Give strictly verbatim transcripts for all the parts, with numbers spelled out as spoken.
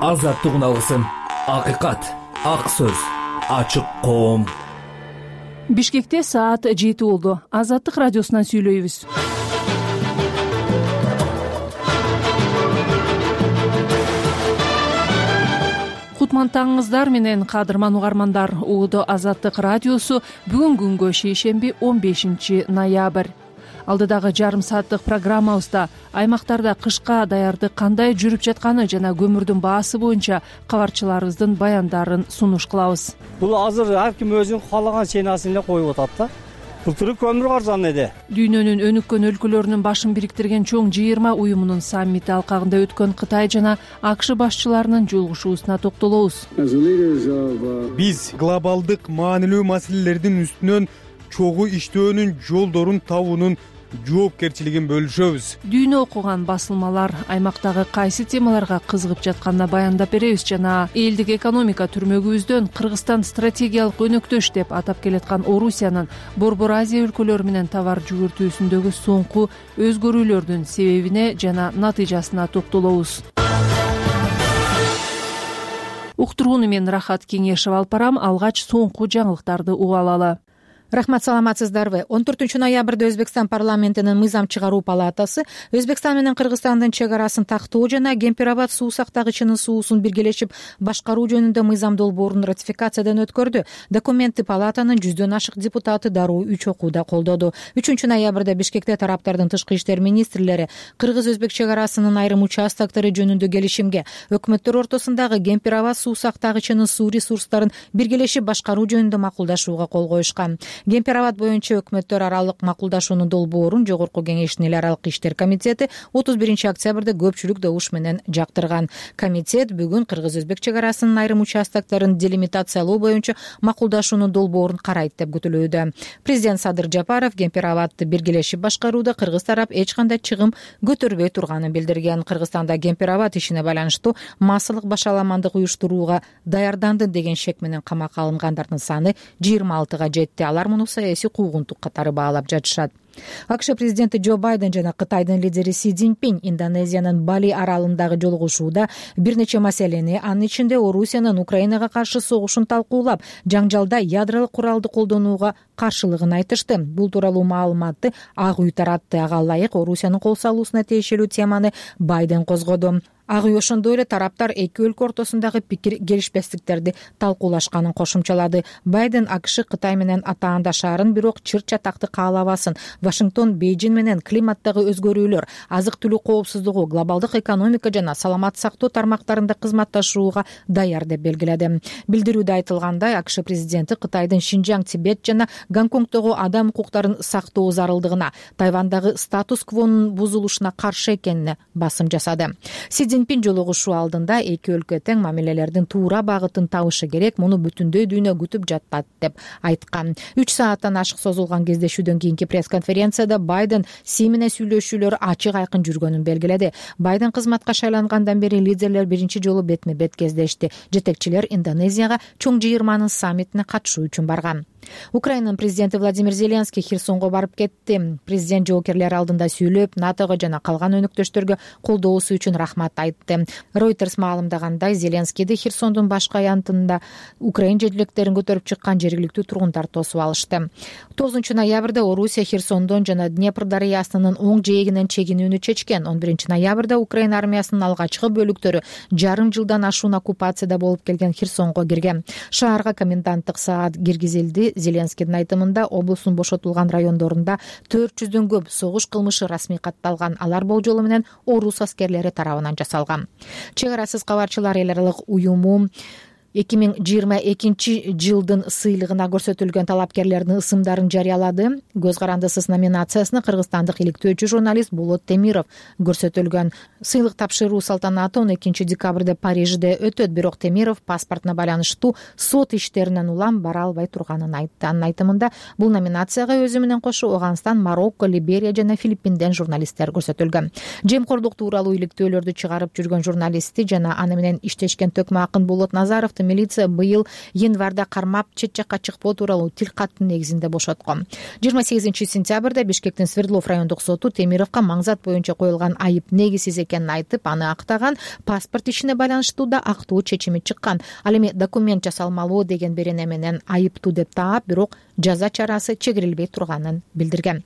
азаттык үналысын, акыйкат, ак сөз, ачык коом. Бишкекте саат жети болду. Азаттык радиосунан сүйлөйбүз. Кутман таңыңыздар менен кадырман угармандар. Уудо Азаттык радиосу бүгүн күнгө шейшемби он бешинчи ноябрь. Алдыдагы жарым сааттык программабызда аймактарда кышка даярдык кандай жүрүп жатканы жана көмүрдүн баасы боюнча кабарчыларыбыздын баяндарын сунуш кылабыз. Бул азыр ар ким өзүнүн каалаган чейнасын эле коюп атат да. Былтыры көмүр арзан эди. Дүйнөнүн өнүккөн өлкөлөрүнүн башын бириктирген чоң жыйырма уюмунун саммити алкагында өткөн Кытай жана АКШ башчыларынын жолугушуусуна токтолобуз. Биз глобалдык маанилүү маселелердин үстүнөн чогуу иштөөнүн жолдорун табуунун жоопкерчилигин бөлүшөбүз. Дүйнө окуган басылмалар аймактагы кайсы темаларга кызыгып жатканына баяндап беребиз жана элдик экономика түрмөгүбүздөн Кыргызстан стратегиялык өнөктөш деп атап келаткан Орусиянын Борбор Азия өлкөлөрү менен товар жүгүртүүсүндөгү соңку өзгөрүүлөрдүн себебине жана натыйжасына токтолобуз. Уктурууну мен Рахат Кеңешева алып барам. Алгач соңку жаңылыктарды угуп алалы. Рахмат, саламатсыздарбы? он төртүнчү ноябрда Өзбекстан парламентинин мыйзам чыгаруу палатасы Өзбекстан менен Кыргызстандын чек арасын тактоо жана Кемпир-Абад суу сактагычынын суусун биргелешип башкаруу жөнүндө мыйзам долбоорун ратификациядан өткөрдү. Документти палатанын жүздөн ашык депутаты дароо үч окууда колдоду. үчүнчү ноябрда Бишкекте тараптардын тышкы иштер министрлери Кыргыз-Өзбек чек арасынын айрым участоктору жөнүндө келишимге, өкмөттөр ортосундагы Кемпир-Абад суу сактагычынын суу ресурстарын биргелешип башкаруу жөнүндө макулдашууга кол коюшкан. Кемпир-Абад боюнча өкмөттөр аралык макулдашуунун долбоорун Жогорку Кеңештин эл аралык иштер комитети отуз биринчи октябрда көпчүлүк добуш менен жактырган. Комитет бүгүн Кыргыз-Өзбек чек арасынын айрым участокторун делимитациялоо боюнча макулдашуунун долбоорун карайт деп күтүлүүдө. Президент Садыр Жапаров Кемпир-Абадты биргелешип башкарууда кыргыз тарап эч кандай чыгым көтөрбөй турганын билдирген. Кыргызстанда Кемпир-Абад ишине байланыштуу массалык башаламандык уюштурууга даярданды деген шек менен камакка алынгандардын саны жыйырма алтыга жетти. Алар муну саясий куугунтук катары баалап жатышат. АКШ президенти Джо Байден жана Кытайдын лидери Си Цзиньпин Индонезиянын Бали аралындагы жолугушууда бир нече маселени, анын ичинде Орусиянын Украинага каршы согушун талкуулап, жаңжалда ядролук куралды колдонууга каршылыгын айтышты. Бул тууралуу маалыматты Ак үй таратты. Ага ылайык Орусиянын кол салуусуна тиешелүү теманы Байден козгоду. Ак үй ошондой эле тараптар эки өлкө ортосундагы пикир келишпестиктерди талкуулашканын кошумчалады. Байден АКШ Кытай менен атаандашаарын, бирок чыр чатакты каалабасын. Вашингтон Бейжин менен климаттагы өзгөрүүлөр, азык-түлүк коопсуздугу, глобалдык экономика жана саламат сактоо тармактарында кызматташууга даяр деп белгиледи. Билдирүүдө айтылгандай, АКШ президенти Кытайдын Шинжаң, Тибет жана Гонконгдогу адам укуктарын сактоо зарылдыгына, Тайвандагы статус-квонун бузулушуна каршы экенине басым жасады. Си Цзиньпин жолугушуу алдында эки өлкө тең мамилелердин туура багытын табышы керек, муну бүтүндөй дүйнө күтүп жатат деп айткан. үч сааттан ашык созулган кездешүүдөн кийинки пресс-конференцияда Байден Си менен сүйлөшүүлөр ачык айкын жүргөнүн белгиледи. Байден кызматка шайлангандан бери лидерлер биринчи жолу бетме-бет кездешти. Жетекчилер Индонезияга чоң жыйырманын саммитине катышуу үчүн барган. Украинанын президенти Владимир Зеленский Херсонго барып кетти. Президент жоокерлер алдында сүйлөп, НАТОго жана калган өнөктөштөргө колдоосу үчүн рахмат айтты. Reuters маалымдагандай, Зеленскийди Херсондун башкы аянтында Украин желектерин көтөрүп чыккан жергиликтүү тургундар тосуп алышты. тогузунчу ноябрда Орусия Херсондон жана Днепр дарыясынын оң жээгинен чегинүүнү чечкен. он биринчи ноябрда Украин армиясынын алгачкы бөлүктөрү жарым жылдан ашуун оккупацияда болуп келген Херсонго кирген. Шаарга коменданттык саат киргизилди. Зеленскийдин айтымында, облустун бошотулган райондорунда төрт жүздөн көп согуш кылмышы расмий катталган. Алар болжолу менен орус аскерлери тарабынан жасалган. Чек арасыз кабарчылар эл аралык уюму эки миң жыйырма экинчи жылдын сыйлыгына көрсөтүлгөн талапкерлердин ысымдарын жарыялады. Көз карандысыз номинациясына кыргызстандык иликтөөчү журналист Болот Темиров көрсөтүлгөн. Сыйлык тапшыруу салтанаты он экинчи декабрда Парижде өтөт, бирок Темиров паспортуна байланыштуу сот иштеринен улам бара албай турганын айтты. Анын айтымында, бул номинацияга өзү менен кошо Афганистан, Марокко, Либерия жана Филиппинден журналисттер көрсөтүлгөн. Жемкорлук тууралуу иликтөөлөрдү чыгарып жүргөн журналисти жана аны менен иштешкен төкмө акын Болот Назаровду милиция быйыл январда кармап чет жакка чыкпоо тууралуу тил каттын негизинде бошоткон. жыйырма сегизинчи сентябрда Бишкектин Свердлов райондук соту Темировго маңзат боюнча коюлган айып негизсиз экенин айтып, аны актаган, паспорт ишине байланыштуу да актуу чечими чыккан. Ал эми документ жасалмалуу деген берене менен айыптуу деп таап, бирок жаза чарасы чегирилбей турганын билдирген.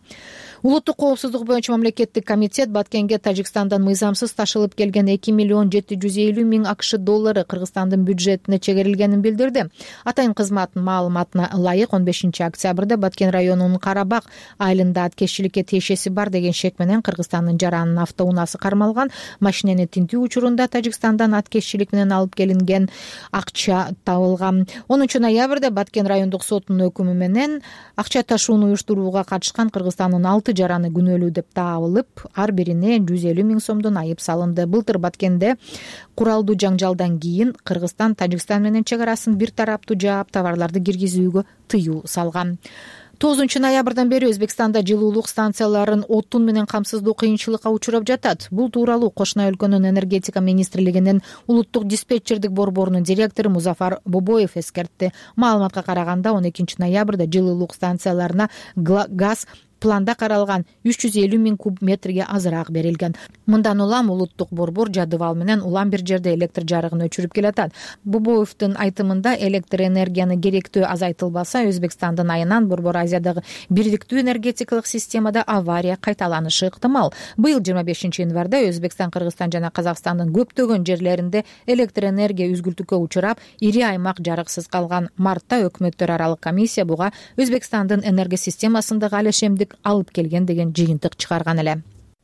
Улуттук коопсуздук боюнча мамлекеттик комитет Баткенге Тажикстандан мыйзамсыз ташылып келген эки миллион жети жүз элүү миң АКШ доллары Кыргызстандын бюджетине чегерилгенин билдирди. Атайын кызматтын маалыматына ылайык он бешинчи октябрда Баткен районунун Карабак айылында аткезчиликке тиешеси бар деген шек менен Кыргызстандын Жаранын автоунаасы кармалган. Машинени тинтүү учурунда Тажикстандан аткезчилик менен алып келинген акча табылган. онунчу ноябрда Баткен райондук сотунун өкүмү менен акча ташууну уюштурууга катышкан Кыргызстандын алты жараны күнөөлүү деп табылып, ар бирине жүз элүү миң сомдон айып салынды. Былтыр Баткенде куралдуу жаңжалдан кийин Кыргызстан Тажикстан менен чек арасын бир тараптуу жаап, товарларды киргизүүгө тыюу салган. тогузунчу ноябрдан бери Өзбекстанда жылуулук станцияларын отун менен камсыздоо кыйынчылыкка учурап жатат. Бул тууралуу кошуна өлкөнүн энергетика министрлигинин улуттук диспетчердик борборунун директору Музафар Бобоев эскертти. Маалыматка караганда он экинчи ноябрда жылуулук станцияларына газ планда каралган үч жүз элүү миң куб метрге азыраак берилген. Мындан улам улуттук борбор жадыбал менен улам бир жерде электр жарыгын өчүрүп келатат. Бобоевдин айтымында, электр энергияны керектөө азайтылбаса, Өзбекстандын айынан Борбор Азиядагы бирдиктүү энергетикалык системада авария кайталанышы ыктымал. Быйыл жыйырма бешинчи январда Өзбекстан, Кыргызстан жана Казакстандын көптөгөн жерлеринде электр энергия үзгүлтүккө учурап, ири аймак жарыксыз калган. Мартта өкмөттөр аралык комиссия буга Өзбекстандын энергия системасындагы алешемдик алып келген деген жыйынтык чыгарган эле.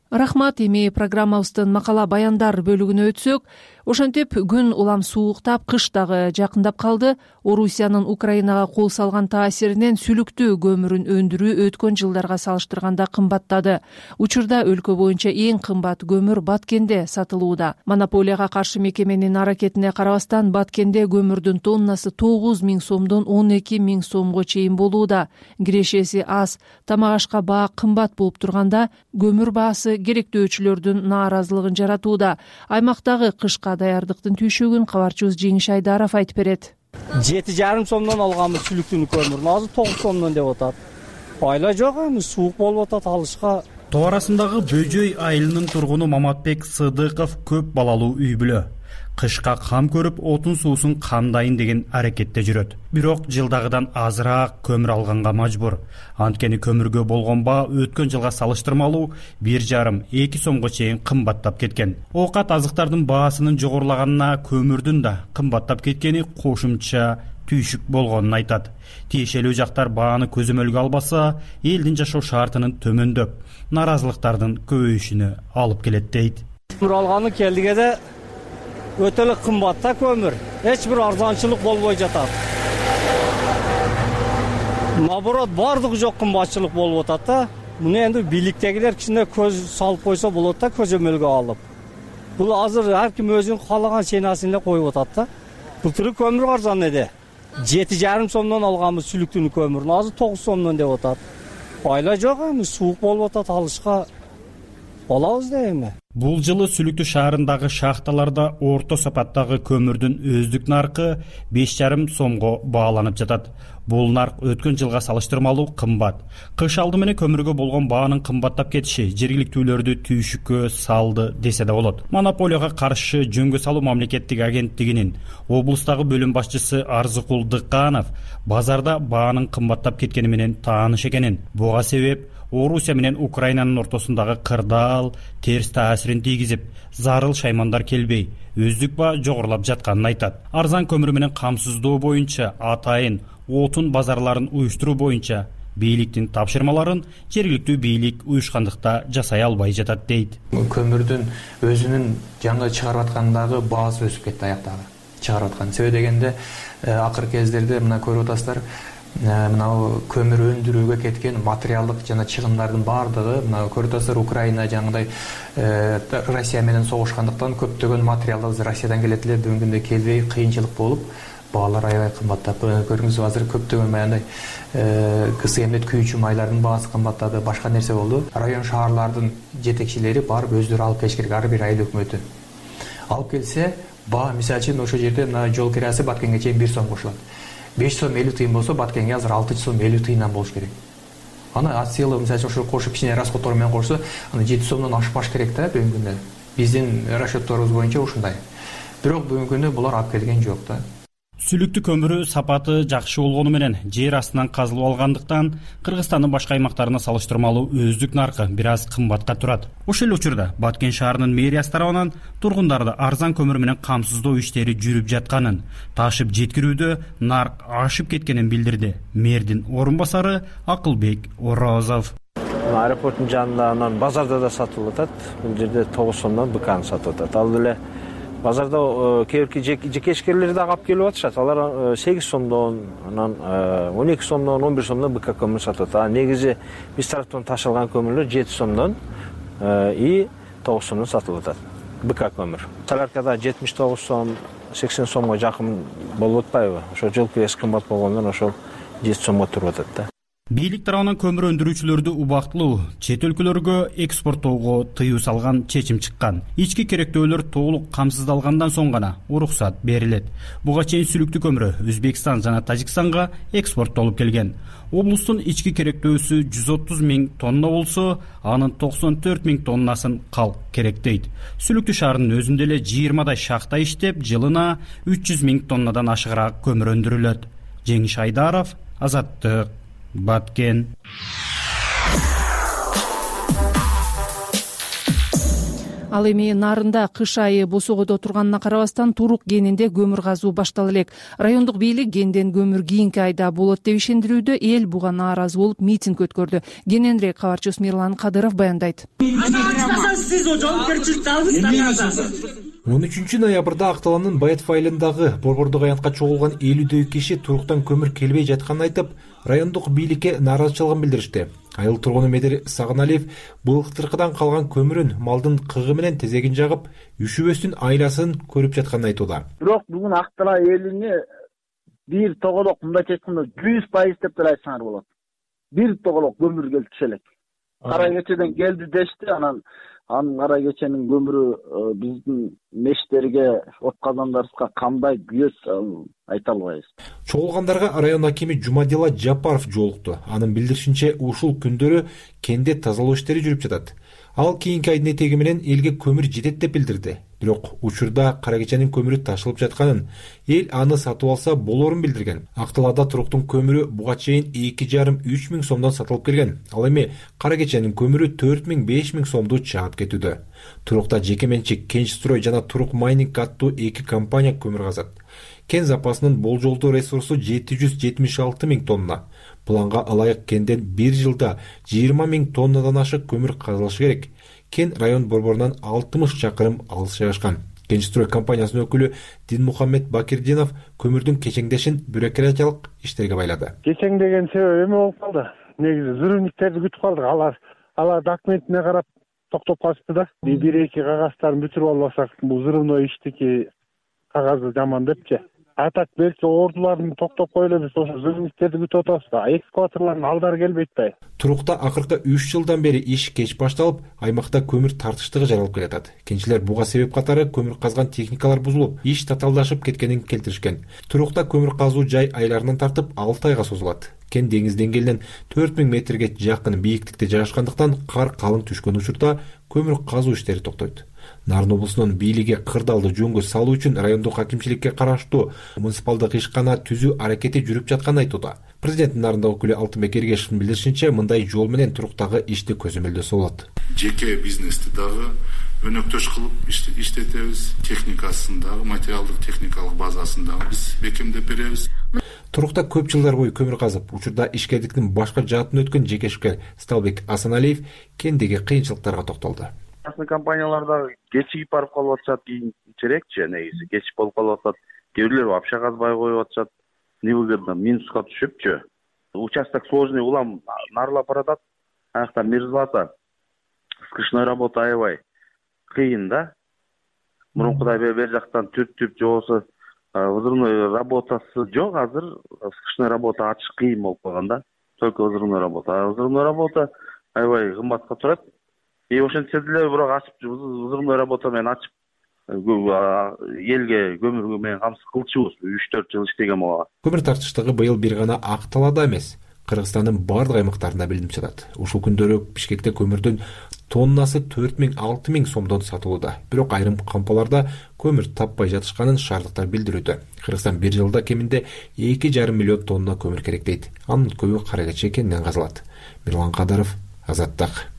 Рахмат. Эми программабыздын макала баяндар бөлүгүнө өтсөк, ошентип күн улам сууктап, кыш дагы жакындап калды. Орусиянын Украинага кол салган таасиринен сүлүктүү көмүрүн өндүрүү өткөн жылдарга салыштырганда кымбаттады. Учурда өлкө боюнча эң кымбат көмүр Баткенде сатылууда. Монополияга каршы мекеменин аракетине карабастан, Баткенде көмүрдүн тоннасы тогуз миң сомдон он эки миң сомго чейин болууда. Кирешеси аз, тамак ашка баа кымбат болуп турганда, көмүр баасы керектөөчүлөрдүн нааразылыгын жаратууда. Аймактагы кышка даярдыктын түйшөгүн кабарчыбыз Жеңиш Айдаров айтып берет. жети жарым сомдон алганбыз сүлүктүүнү көмүрүн, азыр тогуз сомдон деп атат. Айла жок, эми суук болуп атат, алышка. Тоо арасындагы Бөжөй айылынын тургуну Маматбек Сыдыков көп балалуу үй бүлө. Кышка кам көрүп, отун суусун камдайын деген аракетте жүрөт. Бирок жылдагыдан азыраак көмүр алганга мажбур. Анткени көмүргө болгон баа өткөн жылга салыштырмалуу бир жарым эки сомго чейин кымбаттап кеткен. Оокат азыктардын баасынын жогорулаганына көмүрдүн да кымбаттап кеткени кошумча түйшүк болгонун айтат. Тиешелүү жактар бааны көзөмөлгө албаса, элдин жашоо шартынын төмөндөп, нааразылыктардын көбөйүшүнө алып келет дейт. Көмүр алганы келдигеде өтө эле кымбат да көмүр. Эч бир арзанчылык болбой жатат. Наоборот, бардыгы жок кымбатчылык болуп атат да. Муну энди бийликтегилер кичине көз салып койсо болот да, көзөмөлгө алып. Бул азыр ар ким өзүнүн каалаган ценасын эле коюп атат да. Былтыр көмүр арзан эди. жети жарым сомдон алганбыз сүлүктүүнү көмүрүн, азыр тогуз сомдон деп атат. Айла жок, эми суук болуп атат, алышка болобуз да эми. Бул жылы Сүлүктүү шаарындагы шахталарда орто сапаттагы көмүрдүн өздүк наркы беш жарым сомго бааланып жатат. Бул нарк өткөн жылга салыштырмалуу кымбат. Кыш алды менен көмүргө болгон баанын кымбаттап кетиши жергиликтүүлөрдү түйшүккө салды десе да болот. Монополияга каршы жөнгө салуу мамлекеттик агенттигинин облустагы бөлүм башчысы Арзыкул Дыкканов базарда баанын кымбаттап кеткени менен тааныш экенин, буга себеп Орусия менен Украинанын ортосундагы кырдаал терс таасирин тийгизип, зарыл шаймандар келбей, өздүк баа жогорулап жатканын айтат. Арзан көмүр менен камсыздоо боюнча атайын отун базарларын уюштуруу боюнча бийликтин тапшырмаларын жергиликтүү бийлик уюшкандыкта жасай албай жатат дейт. Көмүрдүн өзүнүн жаңы чыгарып аткандагы баасы өсүп кетти, аяктагы чыгарып аткан. Себеби дегенде акыркы кездерде мына көрүп атасыздар, мына көмүр өндүрүүгө кеткен материалдык жана чыгымдардын баардыгы, мына көрүп атасыздар, Украина жаңыдай Россия менен согушкандыктан көптөгөн материалдар Россиядан келет эле, бүгүнкү күндө келбей кыйынчылык болуп, баалар аябай кымбаттап. Көрүңүз, азыр көптөгөн баягындай кысы эмдет күйүүчү майлардын баасы кымбаттады, башка нерсе болду. Район шаарлардын жетекчилери барып өздөрү алып келиш керек, ар бир айыл өкмөтү. алып келсе баа мисалы үчүн ошол жерде мына жол кирасы Баткенге чейин бир сом кошулат. беш сом элүү тыйын болсо Баткенге азыр алты сом элүү тыйындан болуш керек. Аны от силы мисалы үчүн ошо кошуп кичине расходдор менен кошсо, аны жети сомдон ашпаш керек да бүгүнкү күндө. Биздин расчетторубуз боюнча ушундай. Бирок бүгүнкү күндө булар алып келген жок да. Сүлүктүү көмүрү сапаты жакшы болгону менен жер астынан казылып алгандыктан Кыргызстандын башка аймактарына салыштырмалуу өздүк наркы бир аз кымбатка турат. Ошол эле учурда Баткен шаарынын мэриясы тарабынан тургундарды арзан көмүр менен камсыздоо иштери жүрүп жатканын, ташып жеткирүүдө нарк ашып кеткенин билдирди мэрдин орун басары Акылбек Орозов. Аэропорттун жанында анан базарда да сатылып атат. Бул жерде тогуз сомдон быканы сатып атат. Ал эле базарда кээки жекешкерлер да алып келип атышат. Алар сегиз сомдон, анан он эки сомдон, он бир сомдон быка көмүр сатып атат. А негизи биз тараптан ташылган көмүрлөр жети сомдон и тогуз сомдон сатылып атат. Быка көмүр. Соляркада жетимиш тогуз сом, сексен сомго жакын болуп атпайбы? Ошо жол кирesi кымбат болгондон ошол жети сомго туруп атат да. Бийлик тарабынан көмүр өндүрүүчүлөрдү убактылуу чет өлкөлөргө экспорттоого тыюу салган чечим чыккан. Ички керектөөлөр толук камсыздалгандан соң гана уруксат берилет. Буга чейин сүлүктүү көмүрү Өзбекстан жана Тажикстанга экспорттолуп келген. Облустун ички керектөөсү жүз отуз миң тонна болсо, анын токсон төрт миң тоннасын калк керектейт. Сүлүктүү шаарынын өзүндө эле жыйырмадай шахта иштеп, жылына үч жүз миң тоннадан ашыгыраак көмүр өндүрүлөт. Жеңиш Айдаров, Азаттык, Баткен. Ал эми нарында кыш айы босогодо турганына карабастан Турук кенинде көмүр казуу баштала элек. Райондук бийлик кенден көмүр кийинки айда болот деп ишендирүүдө, эл буга нааразы болуп митинг өткөрдү. Кененирээк кабарчыбыз Мирлан Кадыров баяндайт. он үчүнчү ноябрда Акталандын Байытов айылындагы борбордук аянтка чогулган элүүдөй киши Туруктан көмүр келбей жатканын айтып, райондук бийликке нааразычылыгын билдиришти. Айыл тургуну Медер Сагыналиев былыктыркыдан калган көмүрүн малдын кыгы менен тезегин жагып, үшүбөстүн айласын көрүп жатканын айтууда. Бирок бүгүн Актала элине бир тоголок мындайча айтканда жүз пайыз деп деле айтсаңар болот. Бир тоголок көмүр келип түшө элек. Кара кечеден келди дешти, анан анын кара кеченин көмүрү биздин мештерге, от казандарыбызга кандай күйөт айта албайбыз. Чогулгандарга район акими Жумадилла Жапаров жолукту. Анын билдиришинче, ушул күндөрү кенде тазалоо иштери жүрүп жатат. Ал кийинки айдын этеги менен элге көмүр жетет деп билдирди. Бирок учурда кара кеченин көмүрү ташылып жатканын, эл аны сатып алса болорун билдирген. Акталада Туруктун көмүрү буга чейин эки жарым үч миң сомдон сатылып келген. Ал эми кара кеченин көмүрү төрт миң беш миң сомду чаап кетүүдө. Турукта жеке менчик Кенчстрой жана Турук Майнинг аттуу эки компания көмүр казат. Кен запасынын болжолдуу ресурсу жети жүз жетимиш алты миң тонна. Планга ылайык кенден бир жылда жыйырма миң тоннадан ашык көмүр казылышы керек. Кен район борборунан алтымыш чакырым алыс жайгашкан. Кенчстрой компаниясынын өкүлү Динмухаммед Бакирдинов көмүрдүн кечеңдешин бюрократиялык иштерге байлады. Кечеңдеген себеби эме болуп калды. Негизи взрывниктерди күтүп калдык. Алар алар документине карап токтоп калышты да. Бир эки кагаздарын бүтүрүп албасак, бул взрывной иштики кагазы жаман депчи. А так белки ордуларын токтоп коелебиз, ошо взрывниктерди күтүп атабыз да. Экскаваторлордун алдары келбейт да. Турукта акыркы үч жылдан бери иш кеч башталып, аймакта көмүр тартыштыгы жаралып келатат. Кенчилер буга себеп катары көмүр казган техникалар бузулуп, иш татаалдашып кеткенин келтиришкен. Турукта көмүр казуу жай айларынан тартып алты айга созулат. Кен деңиз деңгээлинен төрт миң метрге жакын бийиктикте жайгашкандыктан кар калың түшкөн учурда көмүр казуу иштери токтойт. Нарын облусунун бийлиги кырдаалды жөнгө салуу үчүн райондук акимчиликке караштуу муниципалдык ишкана түзүү аракети жүрүп жатканын айтууда. Президенттин нарында өкүлү Алтынбек Эргешевдин билдиришинче, мындай жол менен Туруктагы ишти көзөмөлдөсө болот. Жеке бизнести дагы өнөктөш кылып иштетебиз, техникасын дагы, материалдык техникалык базасын дагы биз бекемдеп беребиз. Турукта көп жылдар бою көмүр казып, учурда ишкердиктин башка жаатын өткөн жекешкер Сталбек Асаналиев кендеги кыйынчылыктарга токтолду. Частный компанияларда кечигип барып калып атышат, кийинчерээкчи негизи кечип болуп калып атат. Кээ бирлер вообще казбай коюп атышат. Невыгодно, минуска түшүпчү. Участок сложный, улам нарылап баратат. Аякта мерзлота. Скрышной работа аябай кыйын да. Мурункудай бер жактан түртүп же болбосо взрывной работасы жок, азыр скрышной работа ачыш кыйын болуп калган да. Только взрывной работа. Взрывной работа аябай кымбатка турат. И ошентсе деле бирок ачып взрывной работа менен ачып элге көмүр менен камсыз кылчубуз үч төрт жыл иштеген буга. Көмүр тартыштыгы быйыл бир гана Ак Талаада эмес, Кыргызстандын бардык аймактарында билинип жатат. Ушул күндөрү Бишкекте көмүрдүн тоннасы төрт миң алты миң сомдон сатылууда. Бирок айрым кампаларда көмүр таппай жатышканын шаардыктар билдирүүдө. Кыргызстан бир жылда кеминде эки жарым миллион тонна көмүр керек дейт. Анын көбү кара кече кенинен казылат. Мирлан Кадыров, Азаттык.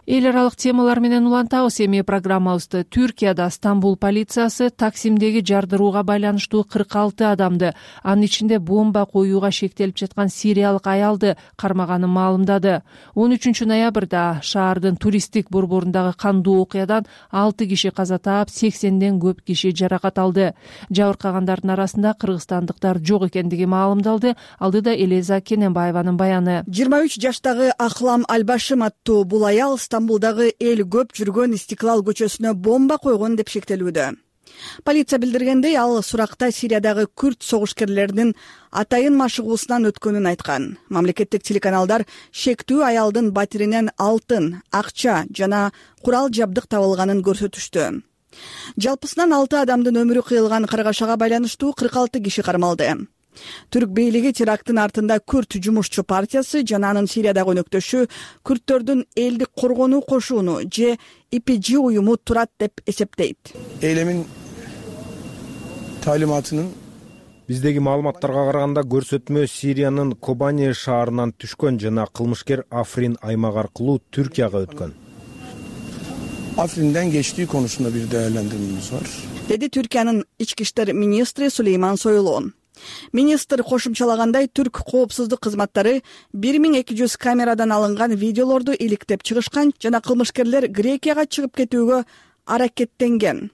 Эл аралык темалар менен улантабыз. Эми программабызды Түркияда Стамбул полициясы Таксимдеги жардырууга байланыштуу кырк алты адамды, анын ичинде бомба коюуга шектелип жаткан сириялык аялды кармаганын маалымдады. он үчүнчү ноябрда шаардын туристтик борборундагы кандуу окуядан алты киши каза таап, сексенден көп киши жаракат алды. Жабыркагандардын арасында кыргызстандыктар жок экендиги маалымдалды. Алдыда Элеза Кененбаеванын баяны. жыйырма үч жаштагы Ахлам Албашим аттуу бул аял Стамбулдагы эл көп жүргөн Истиклал көчөсүнө бомба койгон деп шектелүүдө. Полиция билдиргендей, ал суракта Сириядагы күрд согушкерлеринин атайын машыгуусунан өткөнүн айткан. Мамлекеттик телеканалдар шектүү аялдын батиринен алтын, акча жана курал жабдык табылганын көрсөтүштү. Жалпысынан алты адамдын өмүрү кыйылган каргашага байланыштуу кырк алты киши кармалды. Түрк бийлиги теракттын артында Күрд жумушчу партиясы жана анын Сириядагы өнөктөшү күрдтөрдүн элдик коргонуу кошууну же И P G уюму турат деп эсептейт. Эйлемин талиматынын биздеги маалыматтарга караганда көрсөтмө Сириянын Кобани шаарынан түшкөн жана кылмышкер Африн аймагы аркылуу Түркияга өткөн. Афринден geçtiği konusunda bir değerlendirmemiz var. Деди Түркиянын ички иштер министри Сулейман Сойлон. Министр кошумчалагандай, түрк коопсуздук кызматтары бир миң эки жүз камерадан алынган видеолорду иликтеп чыгышкан жана кылмышкерлер Грекияга чыгып кетүүгө аракеттенген.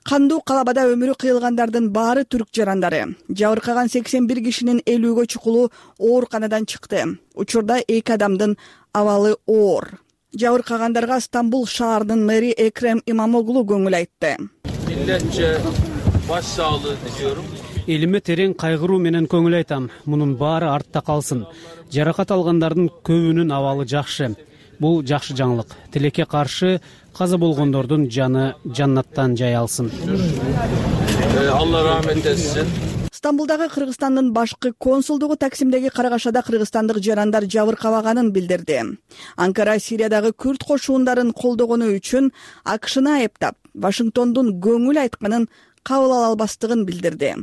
Кандуу калабада өмүрү кыйылгандардын баары түрк жарандары. Жабыркаган сексен бир кишинин элүүгө чукулу ооруканадан чыкты. Учурда эки адамдын абалы оор. Жабыркагандарга Стамбул шаарынын мэри Экрем Имамоглу көңүл айтты. Milletçe baş sağlığı diliyorum. Элиме терең кайгыруу менен көңүл айтам. Мунун баары артта калсын. Жаракат алгандардын көбүнүн абалы жакшы. Бул жакшы жаңылык. Тилекке каршы каза болгондордун жаны жаннаттан жай алсын. Allah rahmet etsin. Стамбулдагы Кыргызстандын башкы консулдугу Таксимдеги каргашада кыргызстандык жарандар жабыркабаганын билдирди. Анкара Сириядагы күрд кошуундарын колдогону үчүн АКШны айыптап, Вашингтондун көңүл айтканын кабыл ала албастыгын билдирди.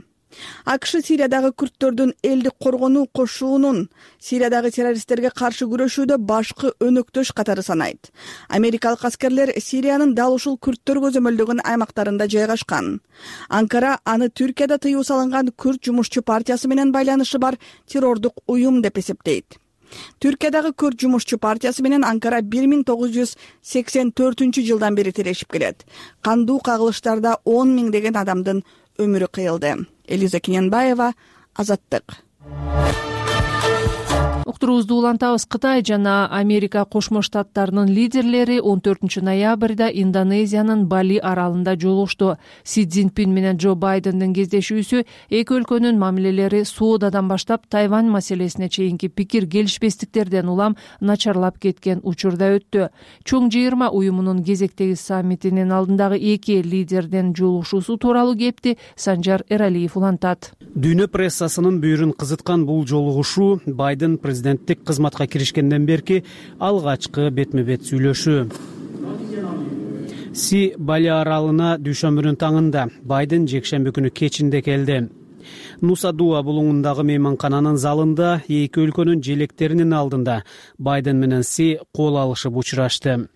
АКШ Сириядагы күрдтөрдүн элдик коргонуу кошуунун Сириядагы террористтерге каршы күрөшүүдө башкы өнөктөш катары санайт. Америкалык аскерлер Сириянын дал ушул күрдтөр көзөмөлдөгөн аймактарында жайгашкан. Анкара аны Түркияда тыюу салынган Күрд жумушчу партиясы менен байланышы бар террордук уюм деп эсептейт. Түркиядагы Күрд жумушчу партиясы менен Анкара бир миң тогуз жүз сексен төртүнчү жылдан бери тирешип келет. Кандуу кагылыштарда он миңдеген адамдын өмүрү кыйылды. Элиза Кененбаева, Азаттык. Уктуруубузду улантабыз. Кытай жана Америка Кошмо Штаттарынын лидерлери он төртүнчү ноябрда Индонезиянын Бали аралында жолугушту. Си Цзиньпин менен Джо Байдендин кездешүүсү эки өлкөнүн мамилелери соодадан баштап Тайвань маселесине чейинки пикир келишпестиктерден улам начарлап кеткен учурда өттү. Чоң жыйырма уюмунун кезектеги саммитинин алдындагы эки эл лидердин жолугушуусу тууралуу кепти Санжар Эралиев улантат. Дүйнө прессасынын бүйүрүн кызыткан бул жолугушуу Байден президенттик кызматка киришкенден берки алгачкы бетме-бет сүйлөшүү. Си Бали аралына дүйшөмбүнүн таңында, Байден жекшемби күнү кечинде келди. Нуса Дуа булуңундагы мейманкананын залында эки өлкөнүн желектеринин алдында Байден менен Си кол алышып учурашты.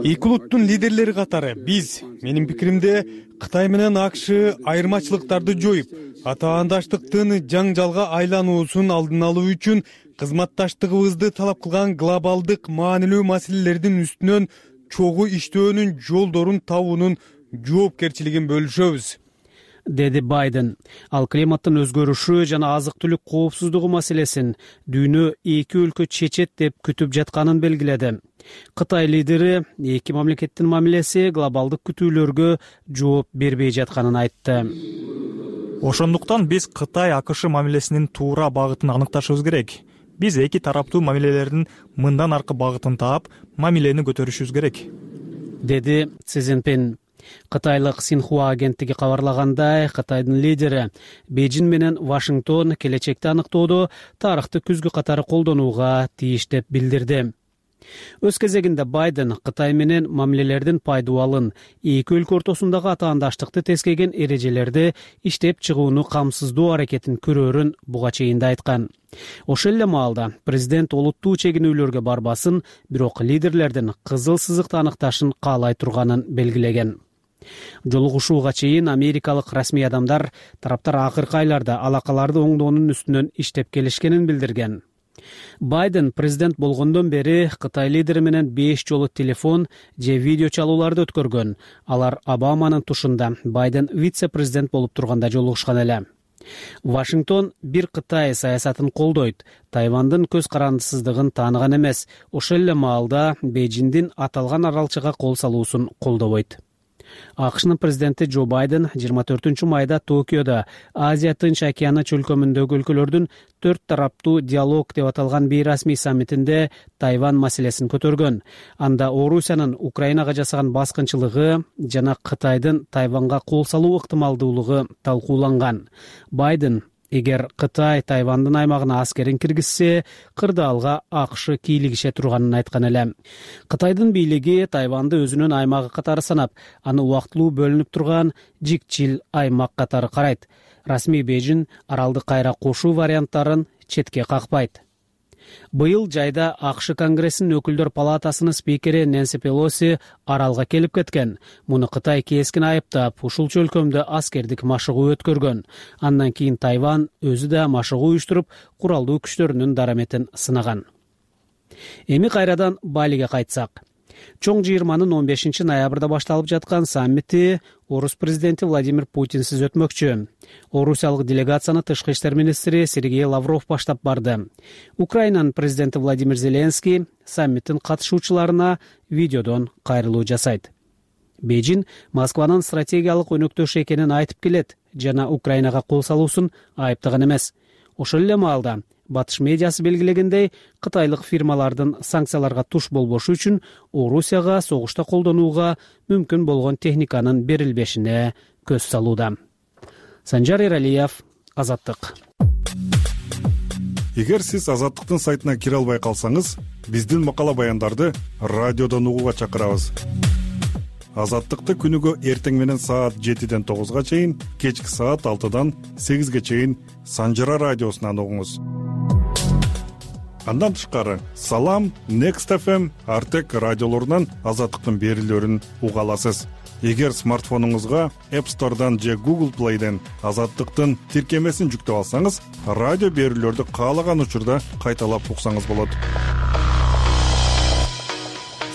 Эки улуттун лидерлери катары биз, менин пикиримде, Кытай менен АКШ айырмачылыктарды жоюп, атаандаштыктын жаңжалга айлануусун алдын алуу үчүн кызматташтыгыбызды талап кылган глобалдык маанилүү маселелердин үстүнөн чогуу иштөөнүн жолдорун табуунун жоопкерчилигин бөлүшөбүз, деди Байден. Ал климаттын өзгөрүшү жана азык-түлүк коопсуздугу маселесин дүйнө эки өлкө чечет деп күтүп жатканын белгиледи. Кытай лидери эки мамлекеттин мамилеси глобалдык күтүүлөргө жооп бербей жатканын айтты. Ошондуктан биз Кытай АКШ мамилесинин туура багытын аныкташыбыз керек. Биз эки тараптуу мамилелердин мындан аркы багытын таап, мамилени көтөрүшүбүз керек, деди Си Цзиньпин. Кытайлык Синхуа агенттиги кабарлагандай, Кытайдын лидери Бейжин менен Вашингтон келечекти аныктоодо тарыхты күзгү катары колдонууга тийиш деп билдирди. Өз кезегинде Байден Кытай менен мамилелердин пайдубалын, эки өлкө ортосундагы атаандаштыкты тескеген эрежелерди иштеп чыгууну камсыздоо аракетин көрөрүн буга чейин да айткан. Ошол эле маалда президент олуттуу чегинүүлөргө барбасын, бирок лидерлердин кызыл сызыкты аныкташын каалай турганын белгилеген. Жолугушууга чейин америкалык расмий адамдар тараптар акыркы айларда алакаларды оңдоонун үстүнөн иштеп келишкенин билдирген. Байден президент болгондон бери Кытай лидери менен беш жолу телефон же видео чалууларды өткөргөн. Алар Обаманын тушунда Байден вице-президент болуп турганда жолугушкан эле. Вашингтон бир Кытай саясатын колдойт, Тайвандын көз карандысыздыгын тааныган эмес. Ошол эле маалда Бейжиңдин аталган аралчыга кол салуусун колдобойт. АКШнын президенти Джо Байден жыйырма төртүнчү майда Токиодо Азия Тынч океаны чөлкөмүндөгү өлкөлөрдүн төрт тараптуу диалог деп аталган бейрасмий саммитинде Тайвань маселесин көтөргөн. Анда Орусиянын Украинага жасаган баскынчылыгы жана Кытайдын Тайванга кол салуу ыктымалдуулугу талкууланган. Байден эгер Кытай Тайвандын аймагына аскерин киргизсе, кырдаалга АКШ кийлигише турганын айткан эле. Кытайдын бийлиги Тайванды өзүнүн аймагы катары санап, аны убактылуу бөлүнүп турган жикчил аймак катары карайт. Расмий Бейжин аралды кайра кошуу варианттарын четке какпайт. Быйыл жайда АКШ Конгрессинин өкүлдөр палатасынын спикери Нэнси Пелоси аралга келип кеткен. Муну Кытай кескин айыптап, ушул чөлкөмдө аскердик машыгуу өткөргөн. Андан кийин Тайвань өзү да машыгуу уюштуруп, куралдуу күчтөрүнүн дараметин сынаган. Эми кайрадан Балиге кайтсак. Чоң жыйырманын он бешинчи ноябрда башталып жаткан саммити Орус президенти Владимир Путинсиз өтмөкчү. Орусиялык делегацияны тышкы иштер министри Сергей Лавров баштап барды. Украинанын президенти Владимир Зеленский саммиттин катышуучуларына видеодон кайрылуу жасайт. Бейжин Москванын стратегиялык өнөктөш экенин айтып келет жана Украинага кол салуусун айыптаган эмес. Ошол эле маалда Батыш медиасы белгилегендей, кытайлык фирмалардын санкцияларга туш болбошу үчүн Орусияга согушта колдонууга мүмкүн болгон техниканын берилбешине көз салууда. Санжар Эралиев, Азаттык. Эгер сиз Азаттыктын сайтына кире албай калсаңыз, биздин макала баяндарды радиодон угууга чакырабыз. Азаттыкты күнүгө эртең менен саат жетиден тогузга чейин, кечки саат алтыдан сегизге чейин Санжара радиосунан угуңуз. Андан тышкары Салам, Next эф эм, Артек радиолорунан Азаттыктын берүүлөрүн уга аласыз. Эгер смартфонуңузга App Store'дан же Google Play'ден Азаттыктын тиркемесин жүктөп алсаңыз, радио берүүлөрдү каалаган учурда кайталап уксаңыз болот.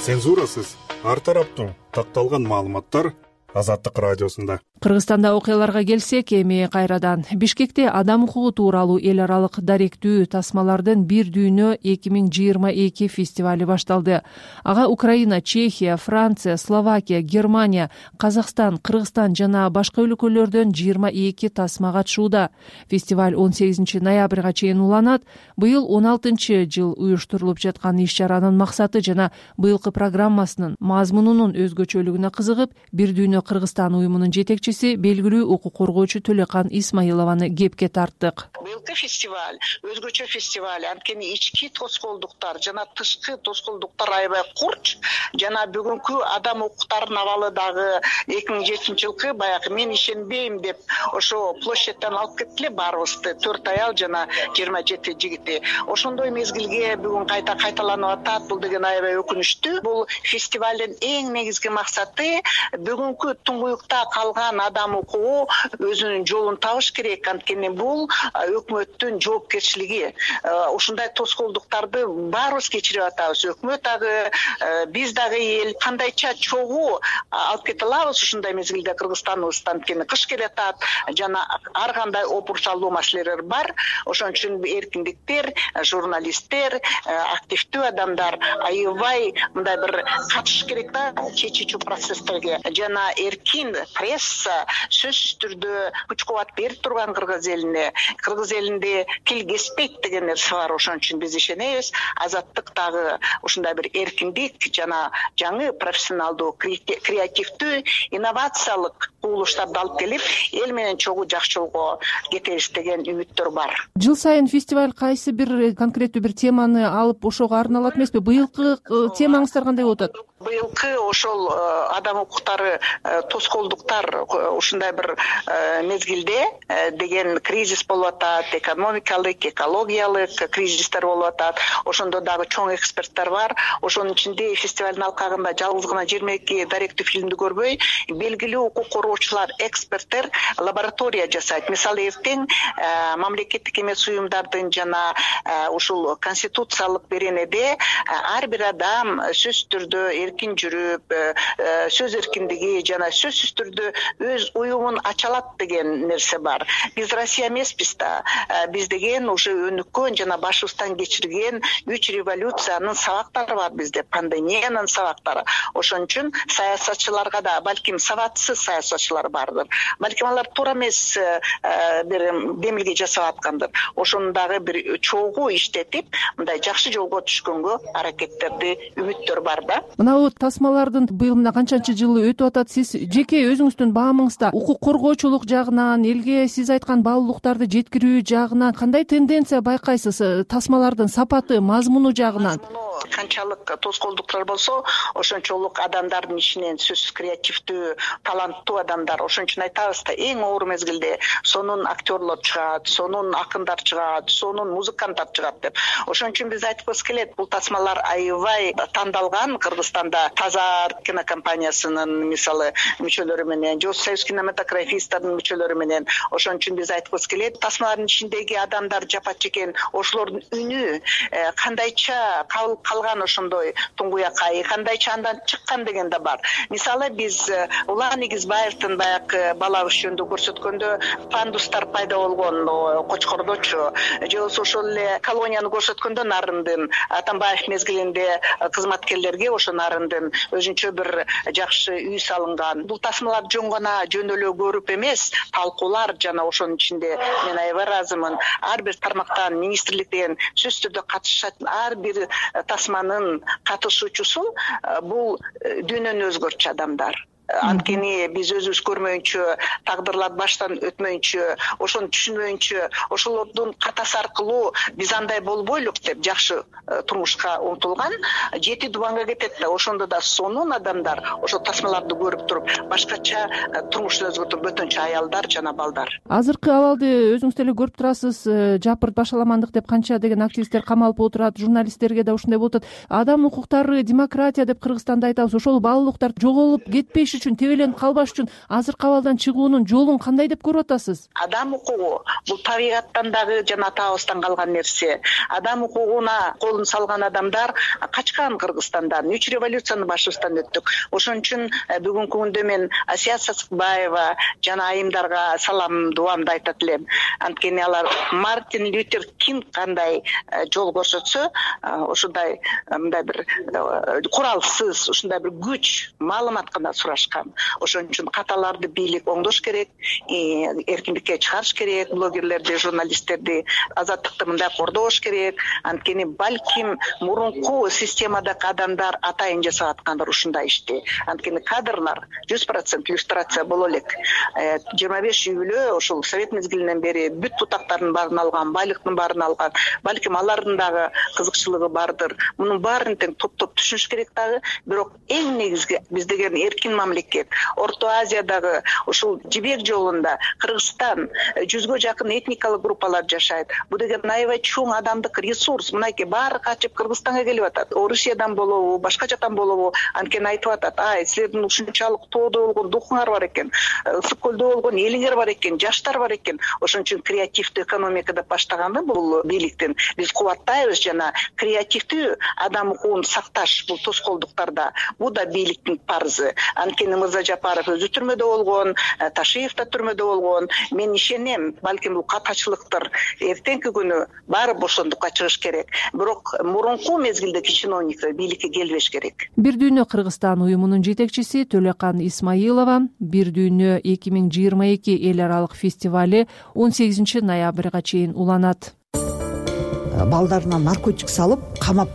Цензурасыз, ар тараптуу такталган маалыматтар Азаттык радиосунда. Кыргызстанда окуяларга келсек, эми кайрадан Бишкекте адам укугу тууралуу эл аралык даректүү тасмалардын бир дүйнө эки миң жыйырма эки фестивали башталды. Ага Украина, Чехия, Франция, Словакия, Германия, Казакстан, Кыргызстан жана башка өлкөлөрдөн жыйырма эки тасма катышууда. Фестиваль он сегизинчи ноябрга чейин уланат. Быйыл он алтынчы жыл уюштурулуп жаткан иш-чаранын максаты жана быйылкы программасынын мазмунунун өзгөчөлүгүнө кызыгып, бир дүйнө Кыргызстан уюмунун жетекчиси, белгилүү укук коргоочу Төлөкан Исмаилованы кепке тарттык. Быйылкы фестиваль өзгөчө фестиваль, анткени ички тоскоолдуктар жана тышкы тоскоолдуктар аябай курч, жана бүгүнкү адам укуктарынын абалы дагы эки миң жетинчи жылкы баягы мен ишенбейм деп ошо площадьтан алып кетти эле баарыбызды, төрт аял жана жыйырма жети жигити. Ошондой мезгилге бүгүн кайта кайталанып атат. Бул деген аябай өкүнүчтүү. Бул фестивалдын эң негизги максаты бүгүнкү туңгуюкта калган адам укугу өзүнүн жолун табыш керек, анткени бул өкмөттүн жоопкерчилиги. Ушундай тоскоолдуктарды баарыбыз кечирип атабыз. Өкмөт дагы, биз дагы эл кандайча чогуу алып кете алабыз ушундай мезгилде Кыргызстаныбыздан, анткени кыш келатат жана ар кандай опурчалуу маселелер бар. Ошон үчүн эркиндиктер, журналисттер, активдүү адамдар аябай мындай бир катышыш керек да чечүүчү процесстерге, жана эркин пресса болбосо сөзсүз түрдө күч кубат берип турган кыргыз элине, кыргыз элинде кил кеспейт деген нерсе бар. Ошон үчүн биз ишенебиз, азаттык дагы ушундай бир эркиндик жана жаңы профессионалдуу, креативдүү, инновациялык кубулуштарды алып келип, эл менен чогуу жакшы жолго кетебиз деген үмүттөр бар. Жыл сайын фестиваль кайсы бир конкреттүү бир теманы алып ошого арналат эмеспи? Быйылкы темаңыздар кандай болуп атат? Быйылкы ошол адам укуктары, тоскоолдуктар ушундай бир мезгилде деген кризис болуп атат, экономикалык, экологиялык кризистер болуп атат. Ошондо дагы чоң эксперттер бар. Ошонун ичинде фестивалдын алкагында жалгыз гана жыйырма эки даректүү фильмди көрбөй, белгилүү укук коргоочулар, эксперттер лаборатория жасайт. Мисалы, эртең мамлекеттик эмес уюмдардын жана ушул конституциялык беренеде ар бир адам сөзсүз түрдө эркин жүрүп, сөз эркиндиги жана сөзсүз түрдө өз уюмун ача алат деген нерсе бар. Биз Россия эмеспиз да. Биз деген уже өнүккөн жана башыбыздан кечирген үч революциянын сабактары бар бизде, пандемиянын сабактары. Ошон үчүн саясатчыларга да, балким сабатсыз саясатчылар бардыр. Балким алар туура эмес бир демилге жасап аткандыр. Ошону дагы бир чогуу иштетип, мындай жакшы жолго түшкөнгө аракеттерди, үмүттөр бар да. Мына тасмалардын быйыл мына канчанчы жылы өтүп атат. Сиз жеке өзүңүздүн баамыңызда укук коргоочулук жагынан, элге сиз айткан баалуулуктарды жеткирүү жагынан кандай тенденция байкайсыз? Тасмалардын сапаты, мазмуну жагынан? Канчалык тоскоолдуктар болсо, ошончолук адамдардын ичинен сөзсүз креативдүү, таланттуу адамдар. Ошон үчүн айтабыз да, эң оор мезгилде сонун актерлор чыгат, сонун акындар чыгат, сонун музыканттар чыгат деп. Ошон үчүн биз айткыбыз келет, бул тасмалар аябай тандалган. Кыргызстанда Тазар кинокомпаниясынын мисалы мүчөлөрү менен, же Союз кинематографисттардын мүчөлөрү менен. Ошон үчүн биз айткыбыз келет, тасмалардын ичиндеги адамдар жапат чекен, ошолордун үнү кандайча кабыл калган, ошондой туңгуякай кандайча андан чыккан деген да бар. Мисалы, биз Улан Игизбаевдин баягы бала өз жөнүндө көрсөткөндө пандустар пайда болгон Кочкордочу, же болбосо ошол эле колонияны көрсөткөндө Нарындын Атамбаев мезгилинде кызматкерлерге ошо Нарындын өзүнчө бир жакшы үй салынган. Бул тасмалар жөн гана жөн эле көрүп эмес, талкуулар жана ошонун ичинде мен аябай ыраазымын. Ар бир тармактан, министрликтен сөзсүз түрдө катышат ар бир тасманын катышуучусу бул дүйнөнү өзгөртчү адамдар. Анткени биз өзүбүз көрмөйүнчө, тагдырлар баштан өтмөйүнчө, ошону түшүнбөйүнчө, ошолордун катасы аркылуу биз андай болбойлук деп жакшы турмушка умтулган жети дубанга кетет да. Ошондо да сонун адамдар ошо тасмаларды көрүп туруп башкача турмушту өзгөртүп бөтөнчө аялдар жана балдар. Азыркы абалды өзүңүз деле көрүп турасыз. Жапырт башаламандык деп канча деген активисттер камалып отурат, журналисттерге да ушундай болуп атат. Адам укуктары, демократия деп Кыргызстанда айтабыз. Ошол баалуулуктар жоголуп кетпеш үчүн, тебеленип калбаш үчүн азыркы абалдан чыгуунун жолун кандай деп көрүп атасыз? Адам укугу бул табигаттан дагы жана атабыздан калган нерсе. Адам укугуна колун салган адамдар качкан Кыргызстандан. Үч революцияны башыбыздан өттүк. Ошон үчүн бүгүнкү күндө мен Асия Сасыкбаева жана айымдарга салам, дуамды айтат элем. Анткени алар Мартин Лютер Кинг кандай жол көрсөтсө, ошондой мындай бир куралсыз, ушундай бир күч, маалымат гана сурашкан. Ошон үчүн каталарды бийлик оңдош керек, эркиндикке чыгарыш керек, блогерлерди, журналисттерди, азаттыкты мындай кордош керек. Анткени балким мурунку системадагы адамдар атайын жасап аткандыр ушундай ишти. Анткени кадрлар жүз процент иллюстрация боло элек. жыйырма беш үй бүлө ошол совет мезгилинен бери бүт бутактардын баарын алган, байлыктын баарын алган. Балким алардын дагы кызыкчылыгы бардыр. Мунун баарын тең топтоп түшүнүш керек дагы. Бирок эң негизги биз деген эркин мамлекет. Орто Азиядагы ушул жибек жолунда Кыргызстан жүзгө жакын этникалык группалар жашайт. Бул деген аябай чоң адамдык ресурс. Мынакей баары качып Кыргызстанга келип атат. Орусиядан болобу, башка жактан болобу, анткени айтып атат, ай, силердин ушунчалык тоодо болгон духуңар бар экен, ысык көлдө болгон элиңер бар экен, жаштар бар экен. Ошон үчүн креативдүү экономика деп баштаганда бул бийликтин биз кубаттайбыз жана креативдүү адам укугун сакташ бул тоскоолдуктарда. Бул да бийликтин парзы. Анткени анткени Мырза Жапаров өзү түрмөдө болгон, Ташиев да түрмөдө болгон. Мен ишенем, балким бул катачылыктыр. Эртеңки күнү баары бошондукка чыгыш керек. Бирок мурунку мезгилдеги чиновниктер бийликке келбеш керек. Бир дүйнө Кыргызстан уюмунун жетекчиси Төлөкан Исмаилова Бир дүйнө эки миң жыйырма эки эл аралык фестивали он сегизинчи ноябрга чейин уланат. Балдарына наркотик салып, камап,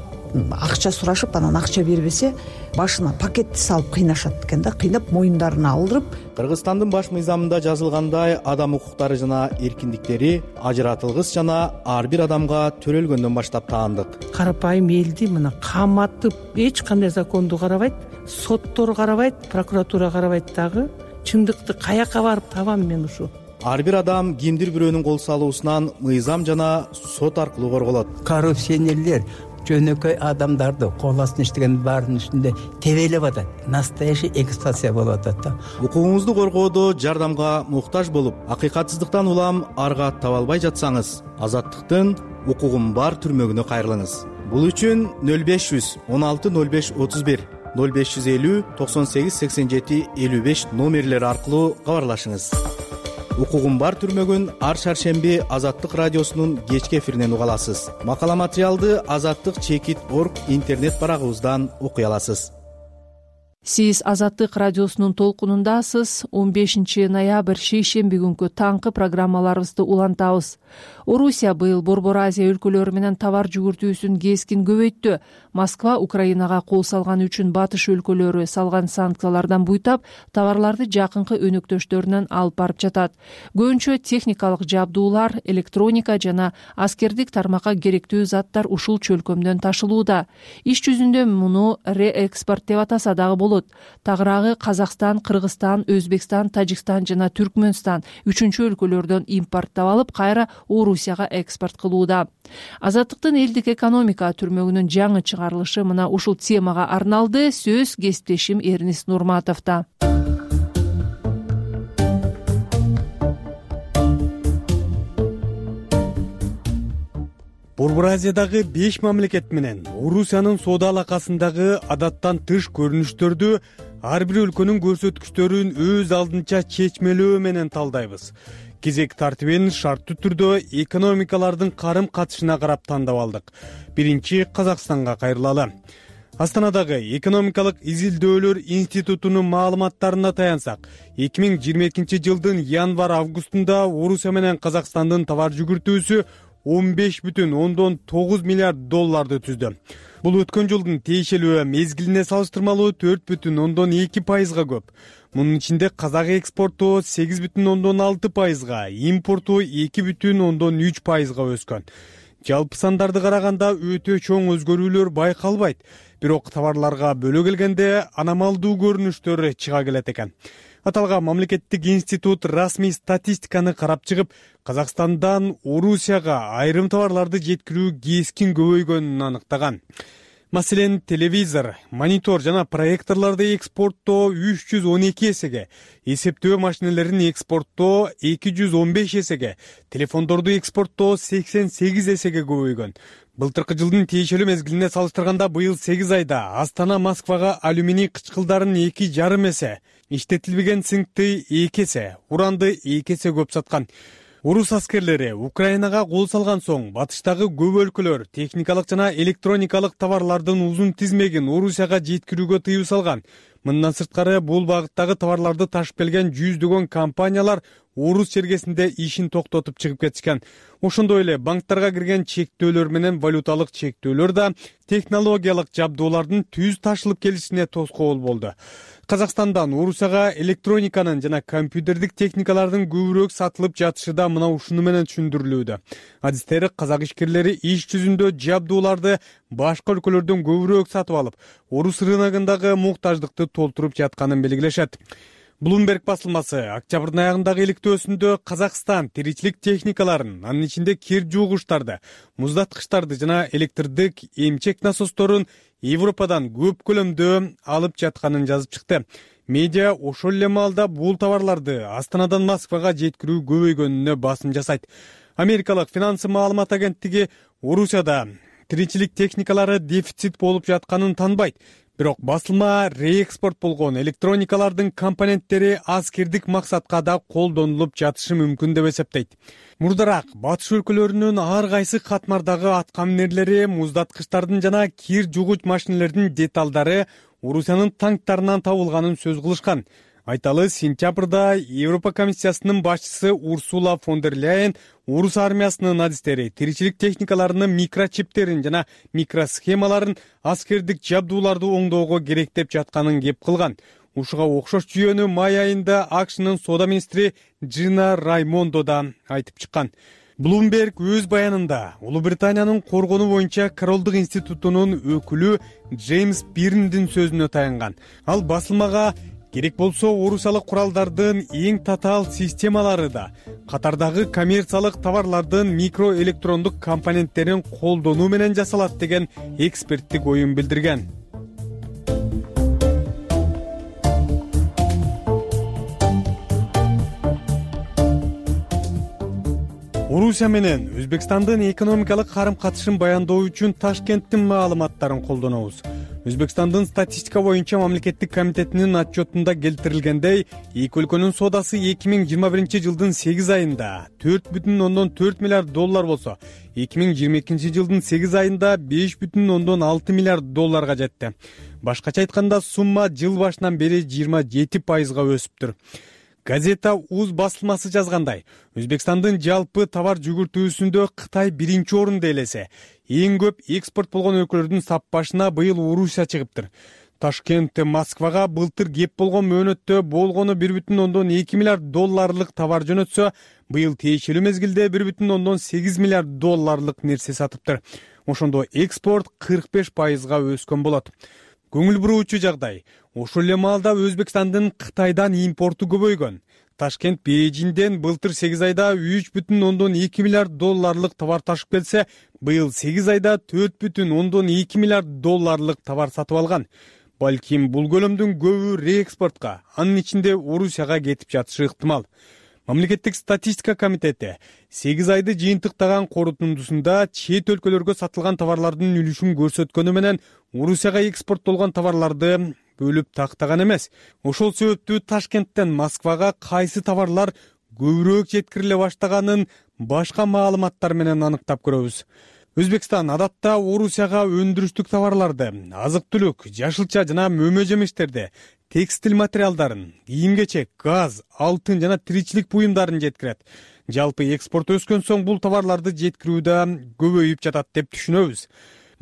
акча сурашып, анан акча бербесе, башына пакетти салып кыйнашат экен да, кыйнап моюндарына алдырып. Кыргызстандын баш мыйзамында жазылгандай, адам укуктары жана эркиндиктери ажыратылгыс жана ар бир адамга төрөлгөндөн баштап таандык. Карапайым элди мына каматып, эч кандай законду карабайт, соттор карабайт, прокуратура карабайт дагы. Чындыкты каяка барып табам мен ушу? Ар бир адам кимдир бирөөнүн кол салуусунан мыйзам жана сот аркылуу корголот. Коррупционерлер жөнөкөй адамдарды кол астына иштеген баарынын үстүндө тебелеп атат. Настоящий эксплуатация болуп атат да. Укугуңузду коргоодо жардамга муктаж болуп, акыйкатсыздыктан улам арга таба албай жатсаңыз, Азаттыктын укугум бар түрмөгүнө кайрылыңыз. Бул үчүн нөл беш жүз он алты нөл беш отуз бир нөл беш жүз элүү токсон сегиз сексен жети элүү беш номерлери аркылуу кабарлашыңыз. Укугум бар түрмөгүн ар шаршемби Азаттык радиосунун кечки эфиринен уга аласыз. Макала материалды азаттык чекит точка орг интернет барагыбыздан окуй аласыз. Сиз Азаттык радиосунун толкунундасыз. он бешинчи ноябрь шейшемби күнкү таңкы программаларыбызды улантабыз. Орусия быйыл Борбор Азия өлкөлөрү менен товар жүгүртүүсүн кескин көбөйттү. Москва Украинага кол салганы үчүн батыш өлкөлөрү салган санкциялардан буйтап, товарларды жакынкы өнөктөштөрүнөн алып барып жатат. Көбүнчө техникалык жабдуулар, электроника жана аскердик тармакка керектүү заттар ушул чөлкөмдөн ташылууда. Иш жүзүндө муну реэкспорт деп атаса дагы болот. Тагыраагы Казакстан, Кыргызстан, Өзбекстан, Тажикстан жана Түркмөнстан үчүнчү өлкөлөрдөн импорттоп алып, кайра Орусияга экспорт кылууда. Азаттыктын элдик экономика түрмөгүнүн жаңы чыгарылышы мына ушул темага арналды. Сөз кесиптешим Эрнис Нурматовдо. Борбор Азиядагы беш мамлекет менен Орусиянын соода алакасындагы адаттан тыш көрүнүштөрдү ар бир өлкөнүн көрсөткүчтөрүн өз алдынча чечмелөө менен талдайбыз. Кезек тартибин шарттуу түрдө экономикалардын карым катышына карап тандап алдык. Биринчи Казакстанга кайрылалы. Астанадагы экономикалык изилдөөлөр институтунун маалыматтарына таянсак, эки миң жыйырма экинчи жылдын январь-августунда Орусия менен Казакстандын товар жүгүртүүсү он беш бүтүн ондон тогуз миллиард долларды түздү. Бул өткөн жылдын тиешелүү мезгилине салыштырмалуу төрт бүтүн ондон эки пайызга көп. Мунун ичинде казак экспорту сегиз бүтүн ондон алты пайызга, импорту эки бүтүн ондон үч пайызга өскөн. Жалпы сандарды караганда өтө чоң өзгөрүүлөр байкалбайт, бирок товарларга бөлө келгенде аномалдуу көрүнүштөр чыга келет экен. Аталган мамлекеттик институт расмий статистиканы карап чыгып, Казакстандан Орусияга айрым товарларды жеткирүү кескин көбөйгөнүн аныктаган. Маселен, телевизор, монитор жана проекторлорду экспорттоо үч жүз он эки эсеге, эсептөө машиналерин экспорттоо эки жүз он беш эсеге, телефондорду экспорттоо сексен сегиз эсеге көбөйгөн. Былтыркы жылдын тиешелүү мезгилине салыштырганда быйыл сегиз айда Астана Москвага алюминий кычкылдарын эки жарым эсе, иштетилбеген цинкти эки эсе, уранды эки эсе көп саткан. Орус аскерлери Украинага кол салган соң батыштагы көп өлкөлөр техникалык жана электроникалык товарлардын узун тизмегин Орусияга жеткирүүгө тыюу салган. Мындан сырткары бул багыттагы товарларды ташып келген жүздөгөн компаниялар Орус чергесинде ишин токтотуп чыгып кетишкен. Ошондой эле банктарга кирген чектөөлөр менен валюталык чектөөлөр да технологиялык жабдуулардын түз ташылып келишине тоскоол болду. Казакстандан Орусияга электрониканын жана компьютердик техникалардын көбүрөөк сатылып жатышы да мына ушуну менен түшүндүрүлүүдө. Адистер казак ишкерлери иш жүзүндө жабдууларды башка өлкөлөрдөн көбүрөөк сатып алып, Орус рыногундагы муктаждыкты толтуруп жатканын белгилешет. Bloomberg басылмасы октябрдын аягындагы иликтөөсүндө Казакстан тиричилик техникаларын, анын ичинде кир жуугучтарды, муздаткычтарды жана электрдик эмчек насосторун Европадан көп көлөмдө алып жатканын жазып чыкты. Медиа ошол эле маалда бул товарларды Астанадан Москвага жеткирүү көбөйгөнүнө басым жасайт. Америкалык финансы маалымат агенттиги Орусияда тиричилик техникалары дефицит болуп жатканын танбайт. Бирок басылма реэкспорт болгон электроникалардын компоненттери аскердик максатка да колдонулуп жатышы мүмкүн деп эсептейт. Мурдараак батыш өлкөлөрүнүн ар кайсы катмардагы аткаминерлери, муздаткычтардын жана кир жугуч машинелердин деталдары Орусиянын танктарынан табылганын сөз кылышкан. Айталы, сентябрда Европа комиссиясынын башчысы Урсула фон дер Ляйен орус армиясынын адистери тиричилик техникаларынын микрочиптерин жана микросхемаларын аскердик жабдууларды оңдоого керек деп жатканын кеп кылган. Ушуга окшош жүйөнү май айында АКШнын соода министри Джина Раймондо да айтып чыккан. Bloomberg өз баянында Улуу Британиянын коргонуу боюнча Королдук институтунун өкүлү Джеймс Бирндин сөзүнө таянган. Ал басылмага керек болсо орусиялык куралдардын эң татаал системалары да катардагы коммерциялык товарлардын микроэлектрондук компоненттерин колдонуу менен жасалат деген эксперттик оюн билдирген. Орусия менен Өзбекстандын экономикалык карым-катышын баяндоо үчүн Ташкенттин маалыматтарын колдонобуз. Өзбекстандын статистика боюнча мамлекеттик комитетинин отчетунда келтирилгендей, эки өлкөнүн соодасы эки миң жыйырма биринчи жылдын сегиз айында төрт бүтүн ондон төрт миллиард доллар болсо, эки миң жыйырма экинчи жылдын сегиз айында беш бүтүн ондон алты миллиард долларга жетти. Башкача айтканда, сумма жыл башынан бери жыйырма жети пайызга өсүптүр. Газета УЗ басылмасы жазгандай, Өзбекстандын жалпы товар жүгүртүүсүндө Кытай биринчи орунда элесе, эң көп экспорт болгон өлкөлөрдүн саппашына быйыл Орусия чыгыптыр. Ташкент Москвага былтыр кеп болгон мөөнөттө болгону бир бүтүн ондон эки миллиард долларлык товар жөнөтсө, быйыл тиешелүү мезгилде бир бүтүн ондон сегиз миллиард долларлык нерсе сатыптыр. Ошондо экспорт кырк беш пайызга өскөн болот. Көңүл буруучу жагдай, ошол эле маалда Өзбекстандын Кытайдан импорту көбөйгөн. Ташкент Бейжиңден былтыр сегиз айда үч бүтүн ондон эки миллиард долларлык товар ташып келсе, быйыл сегиз айда төрт бүтүн ондон эки миллиард долларлык товар сатып алган. Балким бул көлөмдүн көбү реэкспортко, анын ичинде Орусияга кетип жатышы ыктымал. Мамлекеттик статистика комитети сегиз айды жыйынтыктаган корутундусунда чет өлкөлөргө сатылган товарлардын үлүшүн көрсөткөнү менен Орусияга экспорттолгон товарларды бөлүп тактаган эмес. Ошол себептүү Ташкенттен Москвага кайсы товарлар көбүрөөк жеткириле баштаганын башка маалыматтар менен аныктап көрөбүз. Өзбекстан адатта Орусияга өндүрүштүк товарларды, азык-түлүк, жашылча жана мөмө жемиштерди, текстиль материалдарын, кийим-кечек, газ, алтын жана тиричилик буюмдарын жеткирет. Жалпы экспорт өскөн соң бул товарларды жеткирүү да көбөйүп жатат деп түшүнөбүз.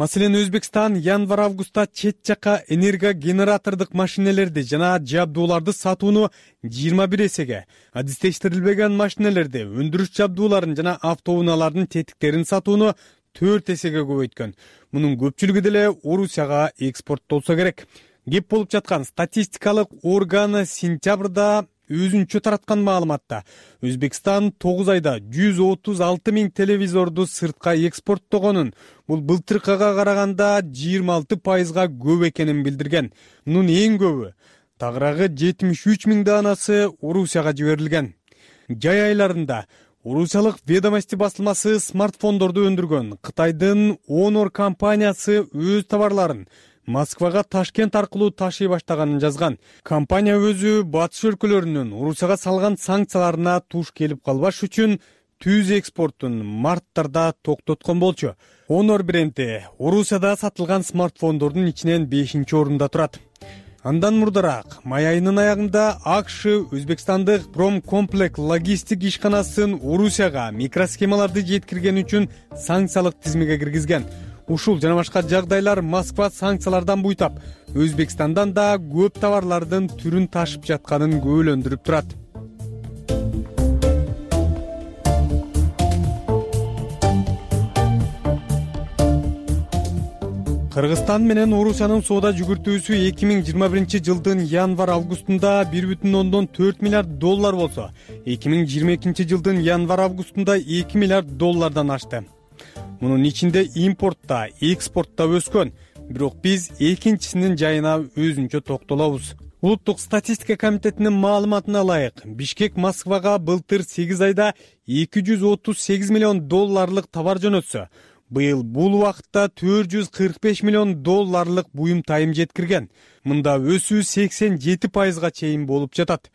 Маселен, Өзбекстан январь-августта чет жака энергогенератордук машинелерди жана жабдууларды сатууну жыйырма бир эсеге, адистештирилбеген машинелерди, өндүрүш жабдууларын жана автоунаалардын тетиктерин сатууну төрт эсеге көбөйткөн. Мунун көпчүлүгү деле Орусияга экспорттолсо керек. Кеп болуп жаткан статистикалык органы сентябрда өзүнчө тараткан маалыматта Өзбекстан тогуз айда жүз отуз алты миң телевизорду сыртка экспорттогонун, бул былтыркыга караганда жыйырма алты пайызга көп экенин билдирген. Мунун эң көбү, тагыраагы жетимиш үч миң даанасы Орусияга жиберилген. Жай айларында Орусиялык Ведомости басылмасы смартфондорду өндүргөн Кытайдын Honor компаниясы өз товарларын Москвага Ташкент аркылуу ташый баштаганын жазган. Компания өзү батыш өлкөлөрүнүн Орусияга салган санкцияларына туш келип калбаш үчүн түз экспортун марттарда токтоткон болчу. Honor бренди Орусияда сатылган смартфондордун ичинен бешинчи орунда турат. Андан мурдараак май айынын аягында АКШ Өзбекстандык Промкомплект логистик ишканасын Орусияга микросхемаларды жеткирген үчүн санкциялык тизмеге киргизген. Ушул жана башка жагдайлар Москва санкциялардан буйтап, Өзбекстандан да көп товарлардын түрүн ташып жатканын күбөлөндүрүп турат. Кыргызстан менен Орусиянын соода жүгүртүүсү эки миң жыйырма биринчи жылдын январь-августунда бир бүтүн ондон төрт миллиард доллар болсо, эки миң жыйырма экинчи жылдын январь-августунда эки миллиард доллардан ашты. Мунун ичинде импортта, экспортто өскөн, бирок биз экинчисинин жайына өзүнчө токтолобуз. Улуттук статистика комитетинин маалыматына ылайык, Бишкек Москвага былтыр сегиз айда эки жүз отуз сегиз миллион долларлык товар жөнөтсө, быйыл бул убакытта төрт жүз кырк беш миллион долларлык буюм тайым жеткирген. Мында өсүү сексен жети пайызга чейин болуп жатат.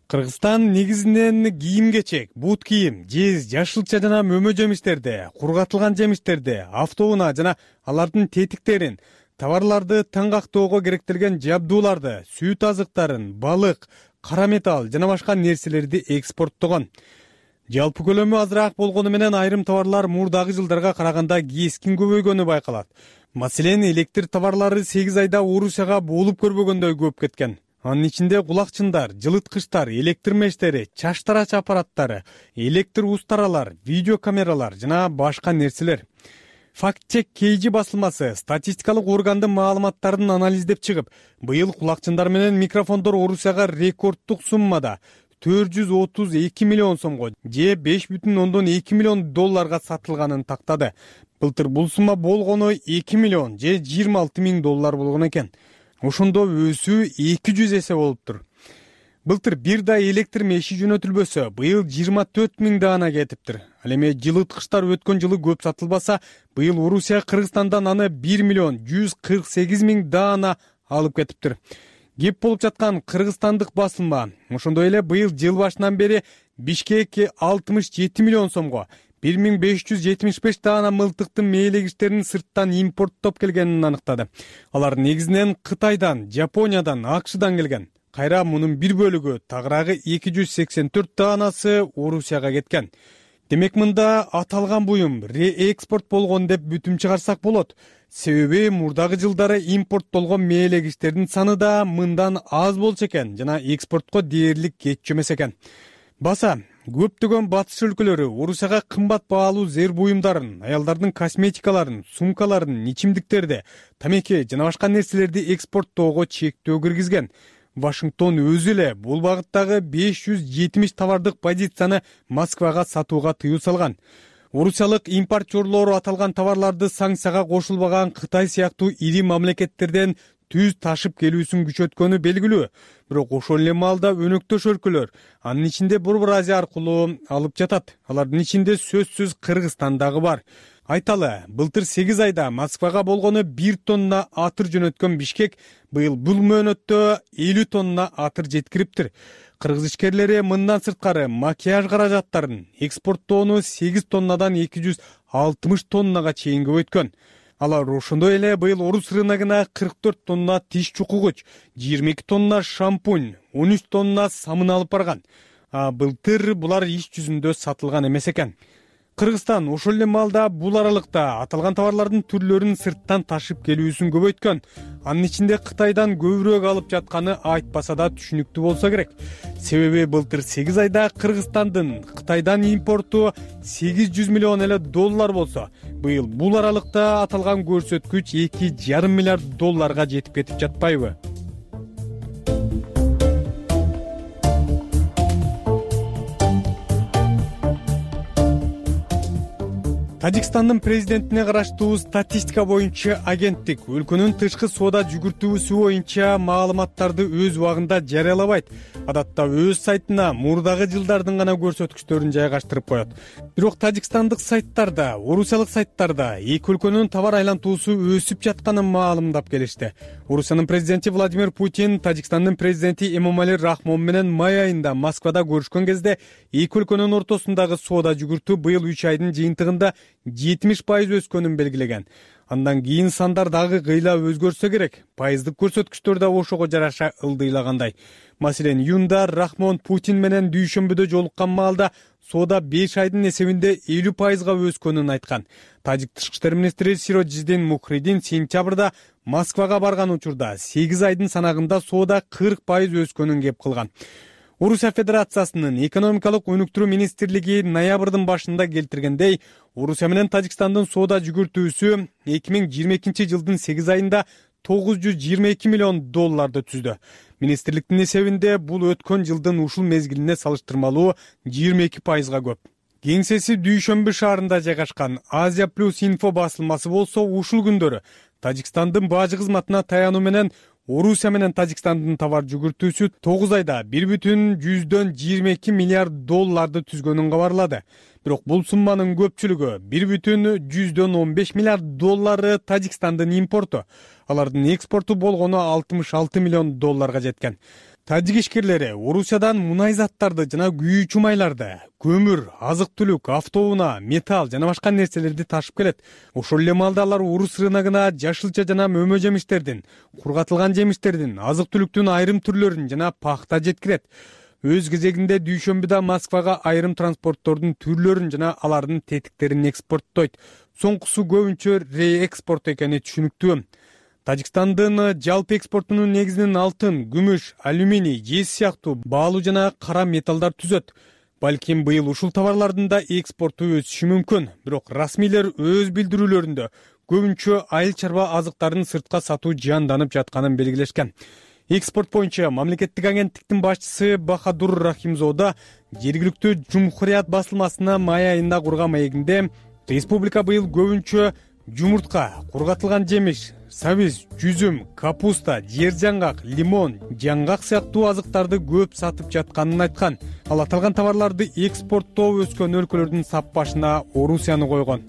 Кыргызстан негизинен кийим-кечек, бут кийим, жез, жашылча жана мөмө жемиштерди, кургатылган жемиштерди, автоунаа жана алардын тетиктерин, товарларды таңгактоого керектелген жабдууларды, сүт азыктарын, балык, кара металл жана башка нерселерди экспорттогон. Жалпы көлөмү азыраак болгону менен айрым товарлар мурдагы жылдарга караганда кескин көбөйгөнү байкалат. Маселен, электр товарлары сегиз айда Орусияга болуп көрбөгөндөй көп кеткен. Анын ичинде кулакчындар, жылыткычтар, электр мештери, чач тарач аппараттары, электр устаралар, видеокамералар жана башка нерселер. Факт-чек кей жи басылмасы статистикалык органдын маалыматтарын анализдеп чыгып, быйыл кулакчындар менен микрофондор Орусияга рекорддук суммада төрт жүз отуз эки миллион сомго же беш бүтүн ондон эки миллион долларга сатылганын тактады. Былтыр бул сумма болгону эки миллион же жыйырма алты миң доллар болгон экен. Ошондо өсүү эки жүз эсе болуптур. Былтыр бир да электр меши жөнөтүлбөсө, быйыл жыйырма төрт миң даана кетиптир. Ал эми жылыткычтар өткөн жылы көп сатылбаса, быйыл Орусия Кыргызстандан аны бир миллион жүз кырк сегиз миң даана алып кетиптир. Кеп болуп жаткан кыргызстандык басылма ошондой эле быйыл жыл башынан бери Бишкек алтымыш жети миллион сомго бир миң беш жүз жетимиш беш даана мылтыктын мээлегичтерин сырттан импорттоп келгенин аныктады. Алар негизинен Кытайдан, Жапониядан, АКШдан келген. Кайра мунун бир бөлүгү, тагыраагы эки жүз сексен төрт даанасы Орусияга кеткен. Демек мында аталган буюм реэкспорт болгон деп бүтүм чыгарсак болот. Себеби мурдагы жылдары импорттолгон мээлегичтердин саны да мындан аз болчу экен жана экспортко дээрлик кетчү экен. Баса көптөгөн батыш өлкөлөрү Орусияга кымбат баалуу зер буюмдарын, аялдардын косметикаларын, сумкаларын, ичимдиктерди, тамеки жана башка нерселерди экспорттоого чектөө киргизген. Вашингтон өзү эле бул багыттагы беш жүз жетимиш товардык позицияны Москвага сатууга тыюу салган. Орусиялык импортерлор аталган товарларды санкцияга кошулбаган Кытай сыяктуу ири мамлекеттерден түз ташып келүүсүн күчөткөнү белгилүү. Бирок ошол эле маалда өнөктөш өлкөлөр, анын ичинде Борбор Азия аркылуу алып жатат. Алардын ичинде сөзсүз Кыргызстан дагы бар. Айталы, былтыр сегиз айда Москвага болгону бир тонна атыр жөнөткөн Бишкек быйыл бул мөөнөттө элүү тонна атыр жеткириптир. Кыргыз ишкерлери мындан сырткары макияж каражаттарын экспорттоону сегиз тоннадан эки жүз алтымыш тоннага чейин көбөйткөн. Алар ошондой эле быйыл орус рыногуна кырк төрт тонна тиш чукугуч, жыйырма эки тонна шампунь, он үч тонна самын алып барган. А былтыр булар иш жүзүндө сатылган эмес экен. Кыргызстан ошол эле маалда бул аралыкта аталган товарлардын түрлөрүн сырттан ташып келүүсүн көбөйткөн. Анын ичинде Кытайдан көбүрөөк алып жатканы айтпаса да түшүнүктүү болсо керек. Себеби былтыр сегиз айда Кыргызстандын Кытайдан импорту сегиз жүз миллион эле доллар болсо, быйыл бул аралыкта аталган көрсөткүч эки жарым миллиард долларга жетип кетип жатпайбы? Тажикстандын президентине караштуу статистика боюнча агенттик өлкөнүн тышкы соода жүгүртүүсү боюнча маалыматтарды өз убагында жарыялабайт. Адатта өз сайтына мурдагы жылдардын гана көрсөткүчтөрүн жайгаштырып коет. Бирок тажикстандык сайттарда, орусиялык сайттарда эки өлкөнүн товар айлантуусу өсүп жатканын маалымдап келишти. Орусиянын президенти Владимир Путин Тажикстандын президенти Эмомали Рахмон менен май айында Москвада көрүшкөн кезде эки өлкөнүн ортосундагы соода жүгүртүү быйыл үч айдын жыйынтыгында жетимиш пайыз өскөнүн белгилеген. Андан кийин сандар дагы кыйла өзгөрсө керек. Пайыздык көрсөткүчтөр да ошого жараша ылдыйлагандай. Маселен, июнда Рахмон Путин менен дүйшөмбүдө жолуккан маалда соода беш айдын эсебинде элүү пайызга өскөнүн айткан. Тажик тышкы иштер министри Сироджидин Мухридин сентябрда Москвага барган учурда сегиз айдын санагында соода кырк пайыз өскөнүн кеп кылган. Орусия Федерациясынын экономикалык өнүктүрүү министрлиги ноябрдын башында келтиргендей, Орусия менен Тажикстандын соода жүгүртүүсү эки миң жыйырма экинчи жылдын сегиз айында тогуз жүз жыйырма эки миллион долларды түздү. Министрликтин эсебинде бул өткөн жылдын ушул мезгилине салыштырмалуу жыйырма эки пайызга көп. Кеңсеси Дүйшөмбү шаарында жайгашкан Азия плюс инфо басылмасы болсо ушул күндөрү Тажикстандын бажы кызматына таянуу менен Орусия менен Тажикстандын товар жүгүртүүсү тогуз айда бир бүтүн жүздөн жыйырма эки миллиард долларды түзгөнүн кабарлады. Бирок бул сумманын көпчүлүгү бир бүтүн жүздөн он беш миллиард доллары Тажикстандын импорту. Алардын экспорту болгону алтымыш алты миллион долларга жеткен. Тажик ишкерлери Орусиядан мунай заттарды жана күйүүчү майларды, көмүр, азык-түлүк, автоунаа, металл жана башка нерселерди ташып келет. Ошол эле маалда алар орус рыногуна жашылча жана мөмө жемиштердин, кургатылган жемиштердин, азык-түлүктүн айрым түрлөрүн жана пахта жеткирет. Өз кезегинде дүйшөмбүдө Москвага айрым транспорттордун түрлөрүн жана алардын тетиктерин экспорттойт. Соңкусу көбүнчө реэкспорт экени түшүнүктүү. Тажикстандын жалпы экспортунун негизинен алтын, күмүш, алюминий, жез сыяктуу баалуу жана кара металлдар түзөт. Балким быйыл ушул товарлардын да экспорту өсүшү мүмкүн. Бирок расмийлер өз билдирүүлөрүндө көбүнчө айыл чарба азыктарын сыртка сатуу жаанданып жатканын белгилешкен. Экспорт боюнча мамлекеттик агенттиктин башчысы Бахадур Рахимзода жергиликтүү Жумхурият басылмасына май айында курган маегинде республика быйыл көбүнчө жумуртка, кургатылган жемиш, сабиз, жүзүм, капуста, жер жаңгак, лимон, жаңгак сыяктуу азыктарды көп сатып жатканын айткан. Ал аталган товарларды экспорттоо өскөн өлкөлөрдүн сап башына Орусияны койгон.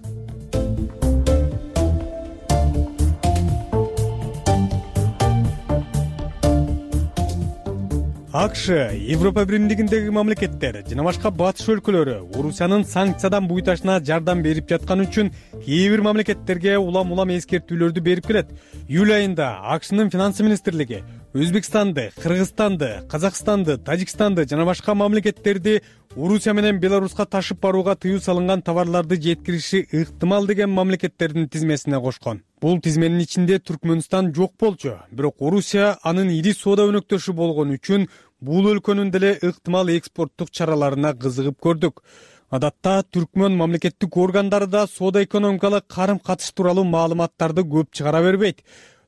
АКШ, Европа биримдигиндеги мамлекеттер жана башка батыш өлкөлөрү Орусиянын санкциядан буйташына жардам берип жатканы үчүн кээ бир мамлекеттерге улам-улам эскертүүлөрдү берип келет. Июль айында АКШнын финансы министрлиги Өзбекстанды, Кыргызстанды, Казакстанды, Тажикстанды жана башка мамлекеттерди Орусия менен Беларуска ташып барууга тыюу салынган товарларды жеткириши ыктымал деген мамлекеттердин тизмесине кошкон. Бул тизменин ичинде Түркмөнстан жок болчу, бирок Орусия анын ири соода өнөктөшү болгон үчүн бул өлкөнүн деле ыктымал экспорттук чараларына кызыгып көрдүк. Адатта Түркмөн мамлекеттик органдары да соода-экономикалык карым-катыш тууралуу маалыматтарды көп чыгара бербейт.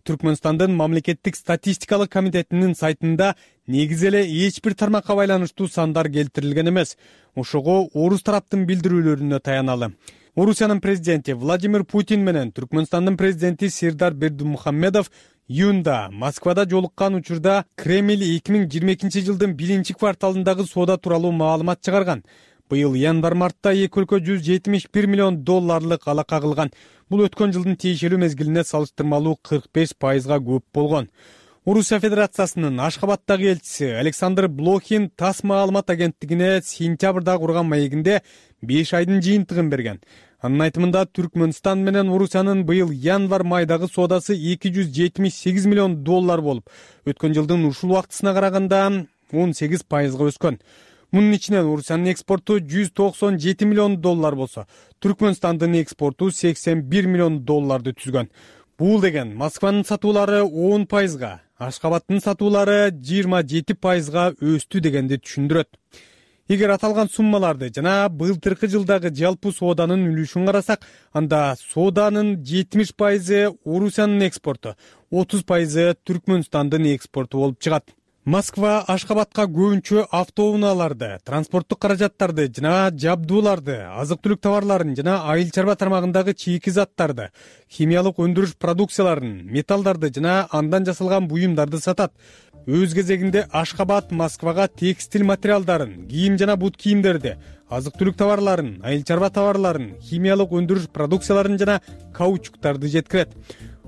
Түркмөнстандын мамлекеттик статистикалык комитетинин сайтында негизи эле эч бир тармакка байланыштуу сандар келтирилген эмес. Ошого орус тараптын билдирүүлөрүнө таяналы. Орусиянын президенти Владимир Путин менен Түркмөнстандын президенти Сердар Бердимухамедов июнда Москвада жолуккан учурда Кремль эки миң жыйырма экинчи жылдын биринчи кварталындагы соода тууралуу маалымат чыгарган. Быйыл январь-мартта эки өлкө жүз жетимиш бир миллион долларлык алака кылган. Бул өткөн жылдын тиешелүү мезгилине салыштырмалуу кырк беш пайызга көп болгон. Орусия Федерациясынын Ашхабадтагы элчиси Александр Блохин ТАСС маалымат агенттигине сентябрда курган маегинде беш айдын жыйынтыгын берген. Анын айтымында Түркмөнстан менен Орусиянын быйыл январь-майдагы соодасы эки жүз жетимиш сегиз миллион доллар болуп, өткөн жылдын ушул убактысына караганда он сегиз пайызга өскөн. Мунун ичинен Орусиянын экспорту жүз токсон жети миллион доллар болсо, Түркмөнстандын экспорту сексен бир миллион долларды түзгөн. Бул деген Москванын сатуулары он пайызга, Ашхабадтын сатуулары жыйырма жети пайызга өстү дегенди түшүндүрөт. Эгер аталган суммаларды жана былтыркы жылдагы жалпы сооданын үлүшүн карасак, анда сооданын жетимиш пайызы Орусиянын экспорту, отуз пайызы Түркмөнстандын экспорту болуп чыгат. Москва Ашхабадка көбүнчө автоунааларды, транспорттук каражаттарды жана жабдууларды, азык-түлүк товарларын жана айыл чарба тармагындагы чийки заттарды, химиялык өндүрүш продукцияларын, металлдарды жана андан жасалган буюмдарды сатат. Өз кезегинде Ашхабад Москвага текстиль материалдарын, кийим жана бут кийимдерди, азык-түлүк товарларын, айыл чарба товарларын, химиялык өндүрүш продукцияларын жана каучуктарды жеткирет.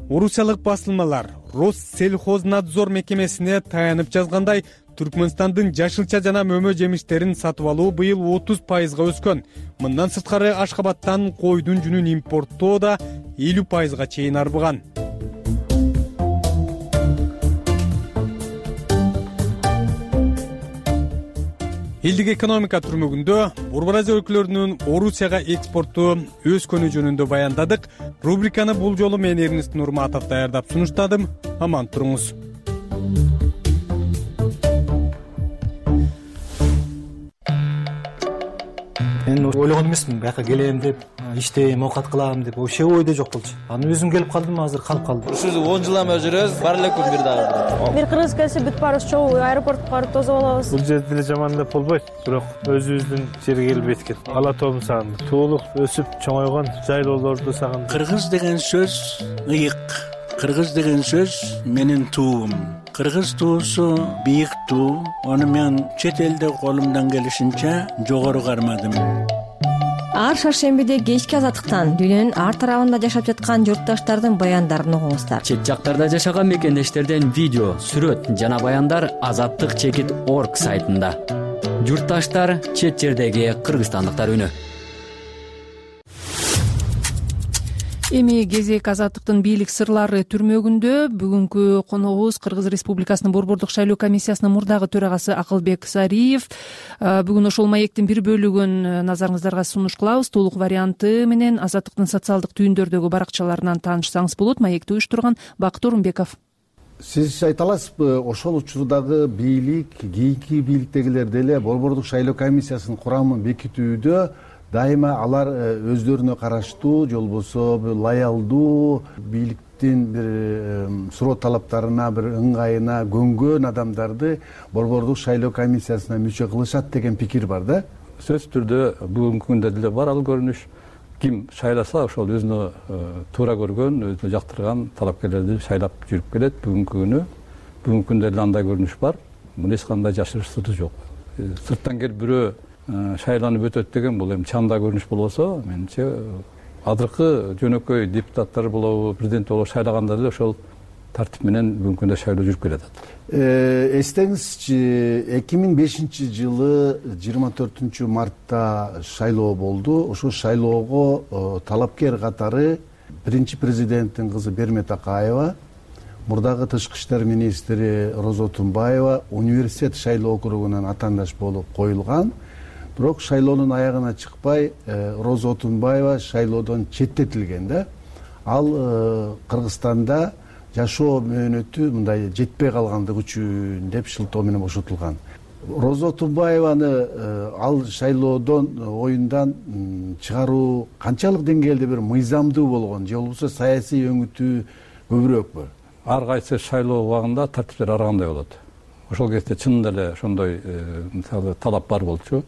Орусиялык басылмалар Россельхознадзор мекемесине таянып жазгандай, Түркмөнстандын жашылча жана мөмө жемиштерин сатып алуу быйыл отуз пайызга өскөн. Мындан сырткары Ашхабадтан койдун жүнүн импорттоо да элүү пайызга чейин арбыган. Элдик экономика түрмөгүндө Борбор Азия өлкөлөрүнүн Орусияга экспорту өскөнү жөнүндө баяндадык. Рубриканы бул жолу мен Эрнест Нурматов даярдап сунуштадым. Аман туруңуз. Мен ойлогон эмесмин, бияка келем деп, иштейм, оокат кылам деп, вообще ойдо жок болчу. Аны өзүм келип калдым, азыр калып калдым. Ушул он жылдан бери жүрөбүз, бар эле күн бир дагы. Бир кыргыз келсе бүт баарыбыз чогуу аэропортко барып тосуп алабыз. Бул жерде деле жаман деп болбойт, бирок өзүбүздүн жерге келип эткен. Ала тоомун сагындык. Туулук өсүп чоңойгон жайлоолорду сагындык. Кыргыз деген сөз ыйык, кыргыз деген сөз менин туум. Кыргыз туусу бийик туу. Аны мен чет элде колумдан келишинче жогору кармадым. Ар шаршембиде кечки азаттыктан дүйнөнүн ар тарабында жашап жаткан журтташтардын баяндарын угуңуздар. Чет жактарда жашаган мекендештерден видео, сүрөт жана баяндар азаттык чекит орг сайтында. Журтташтар, чет жердеги кыргызстандыктар үнү. Эми кезек азаттыктын бийлик сырлары түрмөгүндө. Бүгүнкү коногубуз Кыргыз Республикасынын Борбордук шайлоо комиссиясынын мурдагы төрагасы Акылбек Сариев. Бүгүн ошол маектин бир бөлүгүн назарыңыздарга сунуш кылабыз. Толук варианты менен азаттыктын социалдык түйүндөрдөгү баракчаларынан таанышсаңыз болот. Маекти уюштурган Бакыт Орунбеков. Сиз айта аласызбы, ошол учурдагы бийлик, кийинки бийликтегилер деле Борбордук шайлоо комиссиясынын курамын бекитүүдө дайыма алар өздөрүнө караштуу, же болбосо лоялдуу, бийликтин бир суроо талаптарына, бир ыңгайына көнгөн адамдарды Борбордук шайлоо комиссиясына мүчө кылышат деген пикир бар да. Сөзсүз түрдө бүгүнкү күндө деле бар ал көрүнүш. Ким шайласа ошол өзүнө туура көргөн, өзүнө жактырган талапкерлерди шайлап жүрүп келет. Бүгүнкү күнү, бүгүнкү күндө деле андай көрүнүш бар. Муну эч кандай жашырышсыз жок. Сырттан келип бирөө шайланып өтөт деген бул эми чанда көрүнүш болбосо, менимче азыркы жөнөкөй депутаттар болобу, президент болобу шайлаганда деле ошол тартип менен бүгүнкү күндө шайлоо жүрүп келатат. Эстеңизчи, эки миң бешинчи жылы жыйырма төртүнчү мартта шайлоо болду. Ошол шайлоого талапкер катары биринчи президенттин кызы Бермет Акаева, мурдагы тышкы иштер министри Роза Отунбаева университет шайлоо округунан атаандаш болуп коюлган. Бирок шайлоонун аягына чыкпай, Роза Отунбаева шайлоодон четтетилген да. Ал Кыргызстанда жашоо мөөнөтү мындай жетпей калгандыгы үчүн деп шылтоо менен бошотулган. Роза Отунбаеваны ал шайлоодон оюндан чыгаруу канчалык деңгээлде бир мыйзамдуу болгон, же болбосо саясий өңүтү көбүрөкпү? Ар кайсы шайлоо убагында тартиптер ар кандай болот. Ошол кезде чынында эле ошондой мисалы талап бар болчу.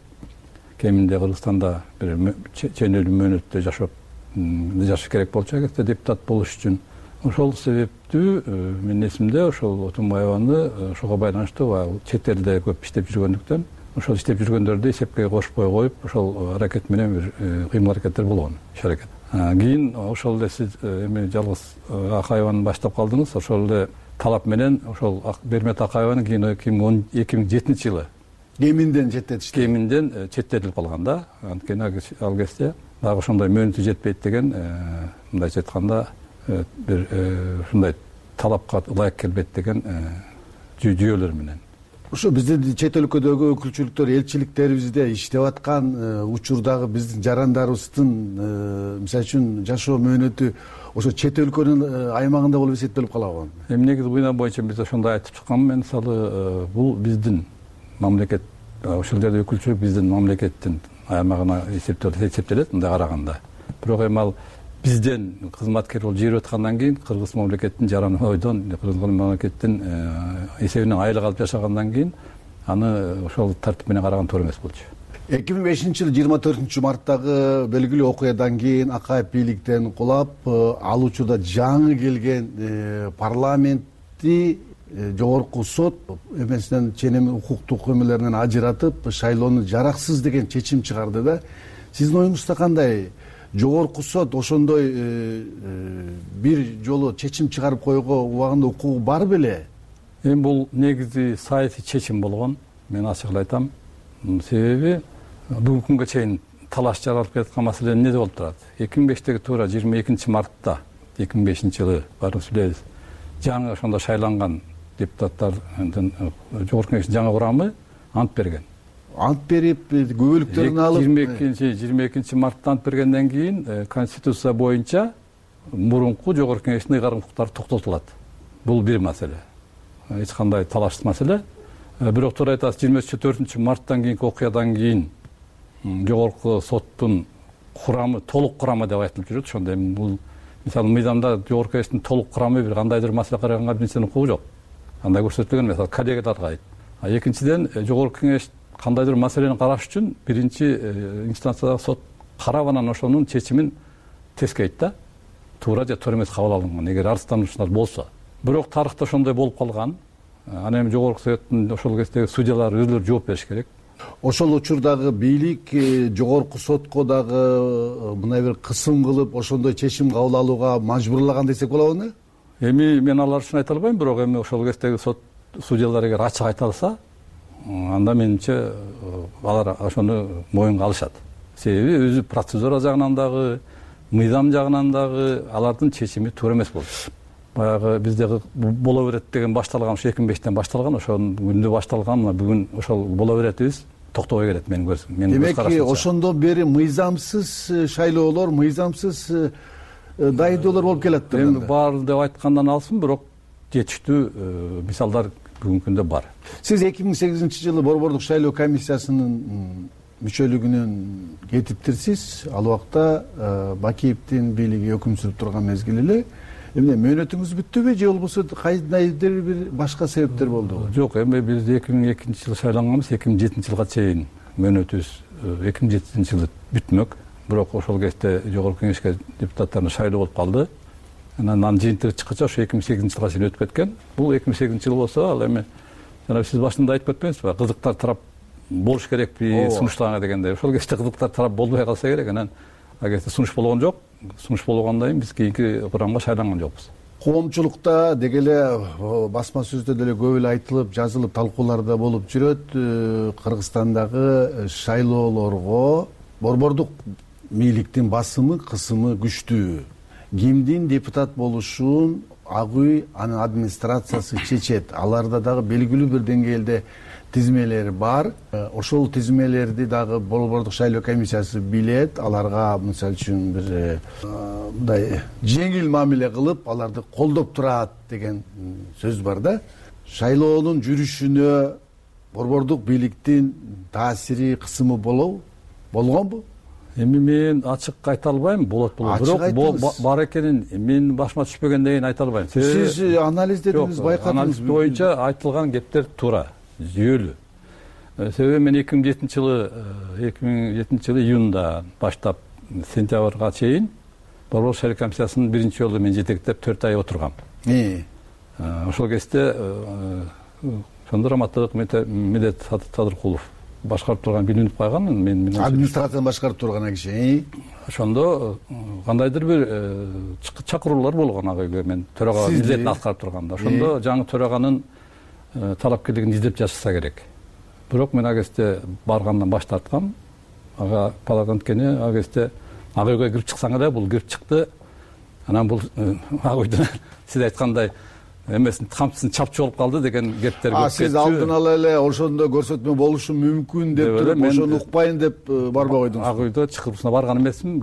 Кеминде Кыргызстанда бир ченелүү мөөнөттө жашап жашаш керек болчу эгерде депутат болуш үчүн. Ошол себептүү менин эсимде ошол Отунбаеваны ошого байланыштуу чет элде көп иштеп жүргөндүктөн ошол иштеп жүргөндөрдү эсепке кошпой коюп, ошол аракет менен бир кыймыл аракеттер болгон, иш аракет. Кийин ошол эле сиз эми жалгыз Акаеваны баштап калдыңыз, ошол эле талап менен ошол Бермет Акаеваны кийин эки миң жетинчи жылы кеминден четтетишти. Кеминден четтетилип калган да. Анткени ал кезде дагы ошондой мөөнөтү жетпейт деген, мындайча айтканда бир ушундай талапка ылайык келбейт деген жүйөлөр менен. Ошо биздин чет өлкөдөгү өкүлчүлүктөр, элчиликтерибизде иштеп аткан учурдагы биздин жарандарыбыздын мисалы үчүн жашоо мөөнөтү ошо чет өлкөнүн аймагында болуп эсептелип калабы? Эми негизи буюна боюнча биз ошондой айтып чыкканмын. Мен мисалы бул биздин мамлекет, ошол жерде өкүлчүлүк биздин мамлекеттин аймагына эсептелет мындай караганда. Бирок эми ал бизден кызматкер болуп жүрүп аткандан кийин кыргыз мамлекеттин жаран ойдон, кыргыз мамлекеттин эсебинен айлык алып жашагандан кийин аны ошол тартип менен караган туура эмес болчу. эки миң бешинчи жылы жыйырма төртүнчү марттагы белгилүү окуядан кийин Акаев бийликтен кулап, ал учурда жаңы келген парламентти жогорку сот эмесинен ченем укуктук эмелеринен ажыратып шайлоону жараксыз деген чечим чыгарды да. Сиздин оюңузда кандай? Жогорку сот ошондой бир жолу чечим чыгарып койууга убагында укугу бар беле? Эми бул негизи саясий чечим болгон. Мен ачык эле айтам. Себеби бүгүнкү күнгө чейин талаш жаралып келаткан маселе эмне болуп турат? эки миң бештеги туура жыйырма экинчи мартта эки миң бешинчи жылы баарыбыз билебиз. Жаңы ошондо шайланган депутаттардын жогорку кеңештин жаңы курамы ант берген. Ант берип, күбөлүктөрүн алып жыйырма экинчи мартта ант бергенден кийин конституция боюнча мурунку жогорку кеңештин ыйгарым укуктары токтотулат. Бул бир маселе. Эч кандай талашсыз маселе. Бирок туура айтасыз, жыйырма төртүнчү марттан кийинки окуядан кийин жогорку соттун курамы, толук курамы деп айтылып жүрөт. Ошондо эми бул мисалы мыйзамда жогорку кеңештин толук курамы бир кандайдыр маселе караганга бир нерсенин укугу жок. Андай көрсөтүлгөн эмес, коллегияларга айт. А экинчиден жогорку кеңеш кандайдыр маселени караш үчүн биринчи инстанциядагы сот карап анан ошонун чечимин тескейт да. туура же туура эмес кабыл алынган, эгер арыздануучулар болсо. Бирок тарыхта ошондой болуп калган. Анан эми жогорку советтин ошол кездеги судьялары өзүлөрү жооп бериш керек. Ошол учурдагы бийлик жогорку сотко дагы мындай бир кысым кылып ошондой чечим кабыл алууга мажбурлаган десек болобу? Эми мен алар үчүн айта албайм, бирок эми ошол кездеги сот судьялар эгер ачык айта алса, анда менимче алар ошону моюнга алышат. Себеби өзү процедура жагынан дагы, мыйзам жагынан дагы алардын чечими туура эмес болду. Баягы бизде боло берет деген башталган, ошо эки миң бештен башталган, ошол күндө башталган, мына бүгүн ошол боло беретибиз токтобой келет менин көрсөм. Демек ошондон бери мыйзамсыз шайлоолор, мыйзамсыз дайындоолор болуп келатты. Эми бар деп айткандан алсын, бирок жетиштүү мисалдар бүгүнкү күндө бар. Сиз эки миң сегизинчи жылы Борбордук шайлоо комиссиясынын мүчөлүгүнөн кетиптирсиз. Ал убакта Бакиевдин бийлиги өкүм сүрүп турган мезгил эле. Эмне мөөнөтүңүз бүттүбү же болбосо кайдыр бир башка себептер болдубу? Жок, эми биз эки миң экинчи жылы шайланганбыз, эки миң жетинчи жылга чейин мөөнөтүбүз эки миң жетинчи жылы бүтмөк. Бирок ошол кезде жогорку кеңешке депутаттарын шайлоо болуп калды. Анан анын жыйынтыгы чыккача ошо эки миң сегизинчи жылга чейин өтүп кеткен. Бул эки миң сегизинчи жыл болсо, ал эми жана сиз башында айтып кетпеңизби, кызыктар тарап болуш керекпи сунуштарга дегенде. Ошол кезде кызыктар тарап болбой калса керек. Анан агерде сунуш болгон жок. Сунуш болгондон кийин биз кийинки курамга шайланган жокпуз. Коомчулукта деги эле басма сөздө деле көп эле айтылып, жазылып, талкуулар да болуп жүрөт. Кыргызстандагы шайлоолорго борбордук бийликтин басымы, кысымы күчтүү. Кимдин депутат болушун ак үй анын администрациясы чечет. Аларда дагы белгилүү бир деңгээлде тизмелер бар. Ошол тизмелерди дагы Борбордук шайлоо комиссиясы билет. Аларга мисалы үчүн бир мындай жеңил мамиле кылып, аларды колдоп турат деген сөз бар да. Шайлоонун жүрүшүнө борбордук бийликтин таасири, кысымы болобу? Болгонбу? Эми мен ачык айта албайм, болот болот. Бирок бар экенин мен башыма түшпөгөндөн кийин айта албайм. Сиз анализдедиңиз, байкадыңыз. Анализ боюнча айтылган кептер туура, жүйөлүү. Себеби мен эки миң жетинчи жылы эки миң жетинчи жылы июнда баштап сентябрга чейин Борбордук шайлоо комиссиясынын биринчи жолу мен жетектеп төрт ай отургам. Ошол кезде ошондо Раматтык Медет Садыркулов башкарып турган билинип калган. Мен администрацияны башкарып турган киши. Ошондо кандайдыр бир чакыруулар болгон ага үйгө, мен төрага милдетин аткарып турганда. Ошондо жаңы төраганын талапкерлигин издеп жатышса керек. Бирок мен ага кезде баргандан баш тарткам. Ага палатан анткени ага кезде ага үйгө кирип чыксаң эле, бул кирип чыкты. Анан бул ага үйдө сиз айткандай эмесин камчысын чапчы болуп калды деген кептер көп. Сиз алдын ала эле ошондо көрсөтмө болушу мүмкүн деп туруп, ошону укпайын деп барбай койдуңуз. Ага үйдө чакыруусуна барган эмесмин.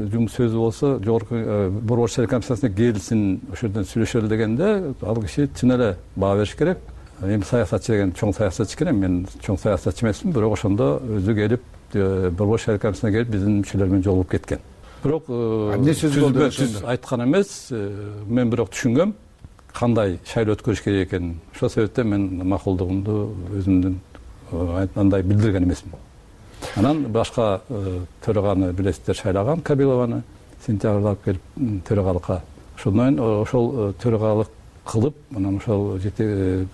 Жумуш сөзү болсо, жогорку Борбордук шайлоо комиссиясына келсин, ошол жерден сүйлөшөлү дегенде, ал киши чын эле баа бериш керек. Эми саясатчы деген чоң саясатчы экен, мен чоң саясатчы эмесмин, бирок ошондо өзү келип, Борбордук шайлоо комиссиясына келип, биздин мүчөлөр менен жолугуп кеткен. Бирок эмне сөз болду ошондо? Айткан эмес, мен бирок түшүнгөм кандай шайлоо өткөрүш керек экенин. Ошол себептен мен макулдугумду өзүмдүн андай билдирген эмесмин. Анан башка төраганы билесиздер, шайлаган Кабилованы сентябрда алып келип төрагалыкка. Ошондон кийин ошол төрагалык кылып, анан ошол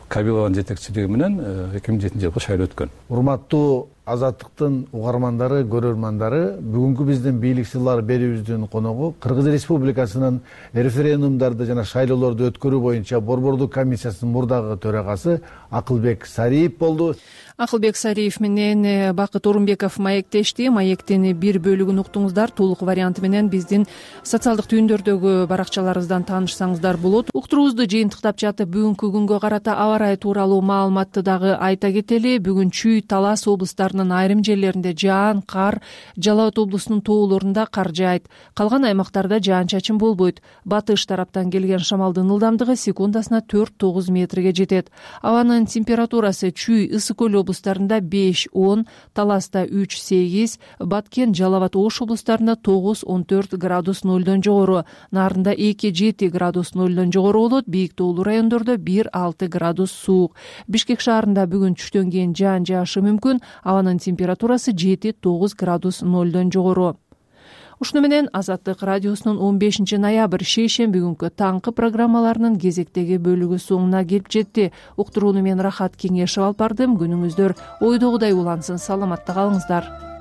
Кабилованын жетекчилиги менен эки миң жетинчи жылкы шайлоо өткөн. Урматтуу Азаттыктын угармандары, көрөрмандары, бүгүнкү биздин бийлик сырлары берүүбүздүн коногу Кыргыз Республикасынын референдумдарды жана шайлоолорду өткөрүү боюнча Борбордук комиссиясынын мурдагы төрагасы Акылбек Сариев болду. Акылбек Сариев менен Бакыт Орунбеков маектешти. Маектин бир бөлүгүн уктуңуздар. Толук варианты менен биздин социалдык түйүндөрдөгү баракчаларыбыздан таанышсаңыздар болот. Уктуруубузду жыйынтыктап жатып, бүгүнкү күнгө карата аба ырайы тууралуу маалыматты дагы айта кетели. Бүгүн Чүй, Талас облустарынын айрым жерлеринде жаан, кар, Жалал Абад облусунун тоолорунда кар жаайт. Калган аймактарда жаан-чачын болбойт. Батыш тараптан келген шамалдын ылдамдыгы секундасына төрт тогуз метрге жетет. Абанын температурасы Чүй, Ысык көл облустарында беш он, Таласта үч сегиз, Баткен, Жалал Абад Ош облустарында тогуз он төрт градус нөлдөн жогору, Нарында эки жети градус нөлдөн жогору болот, бийик тоолуу райондордо бир алты градус суук. Бишкек шаарында бүгүн түштөн кийин жаан жаашы мүмкүн, абанын температурасы жети тогуз градус нөлдөн жогору. ушуну менен Азаттык радиосунун он бешинчи ноябрь шейшемби күнкү таңкы программаларынын кезектеги бөлүгү соңуна келип жетти. Уктурууну мен Рахат Кеңешев алып бардым. Күнүңүздөр ойдогудай улансын. Саламатта калыңыздар.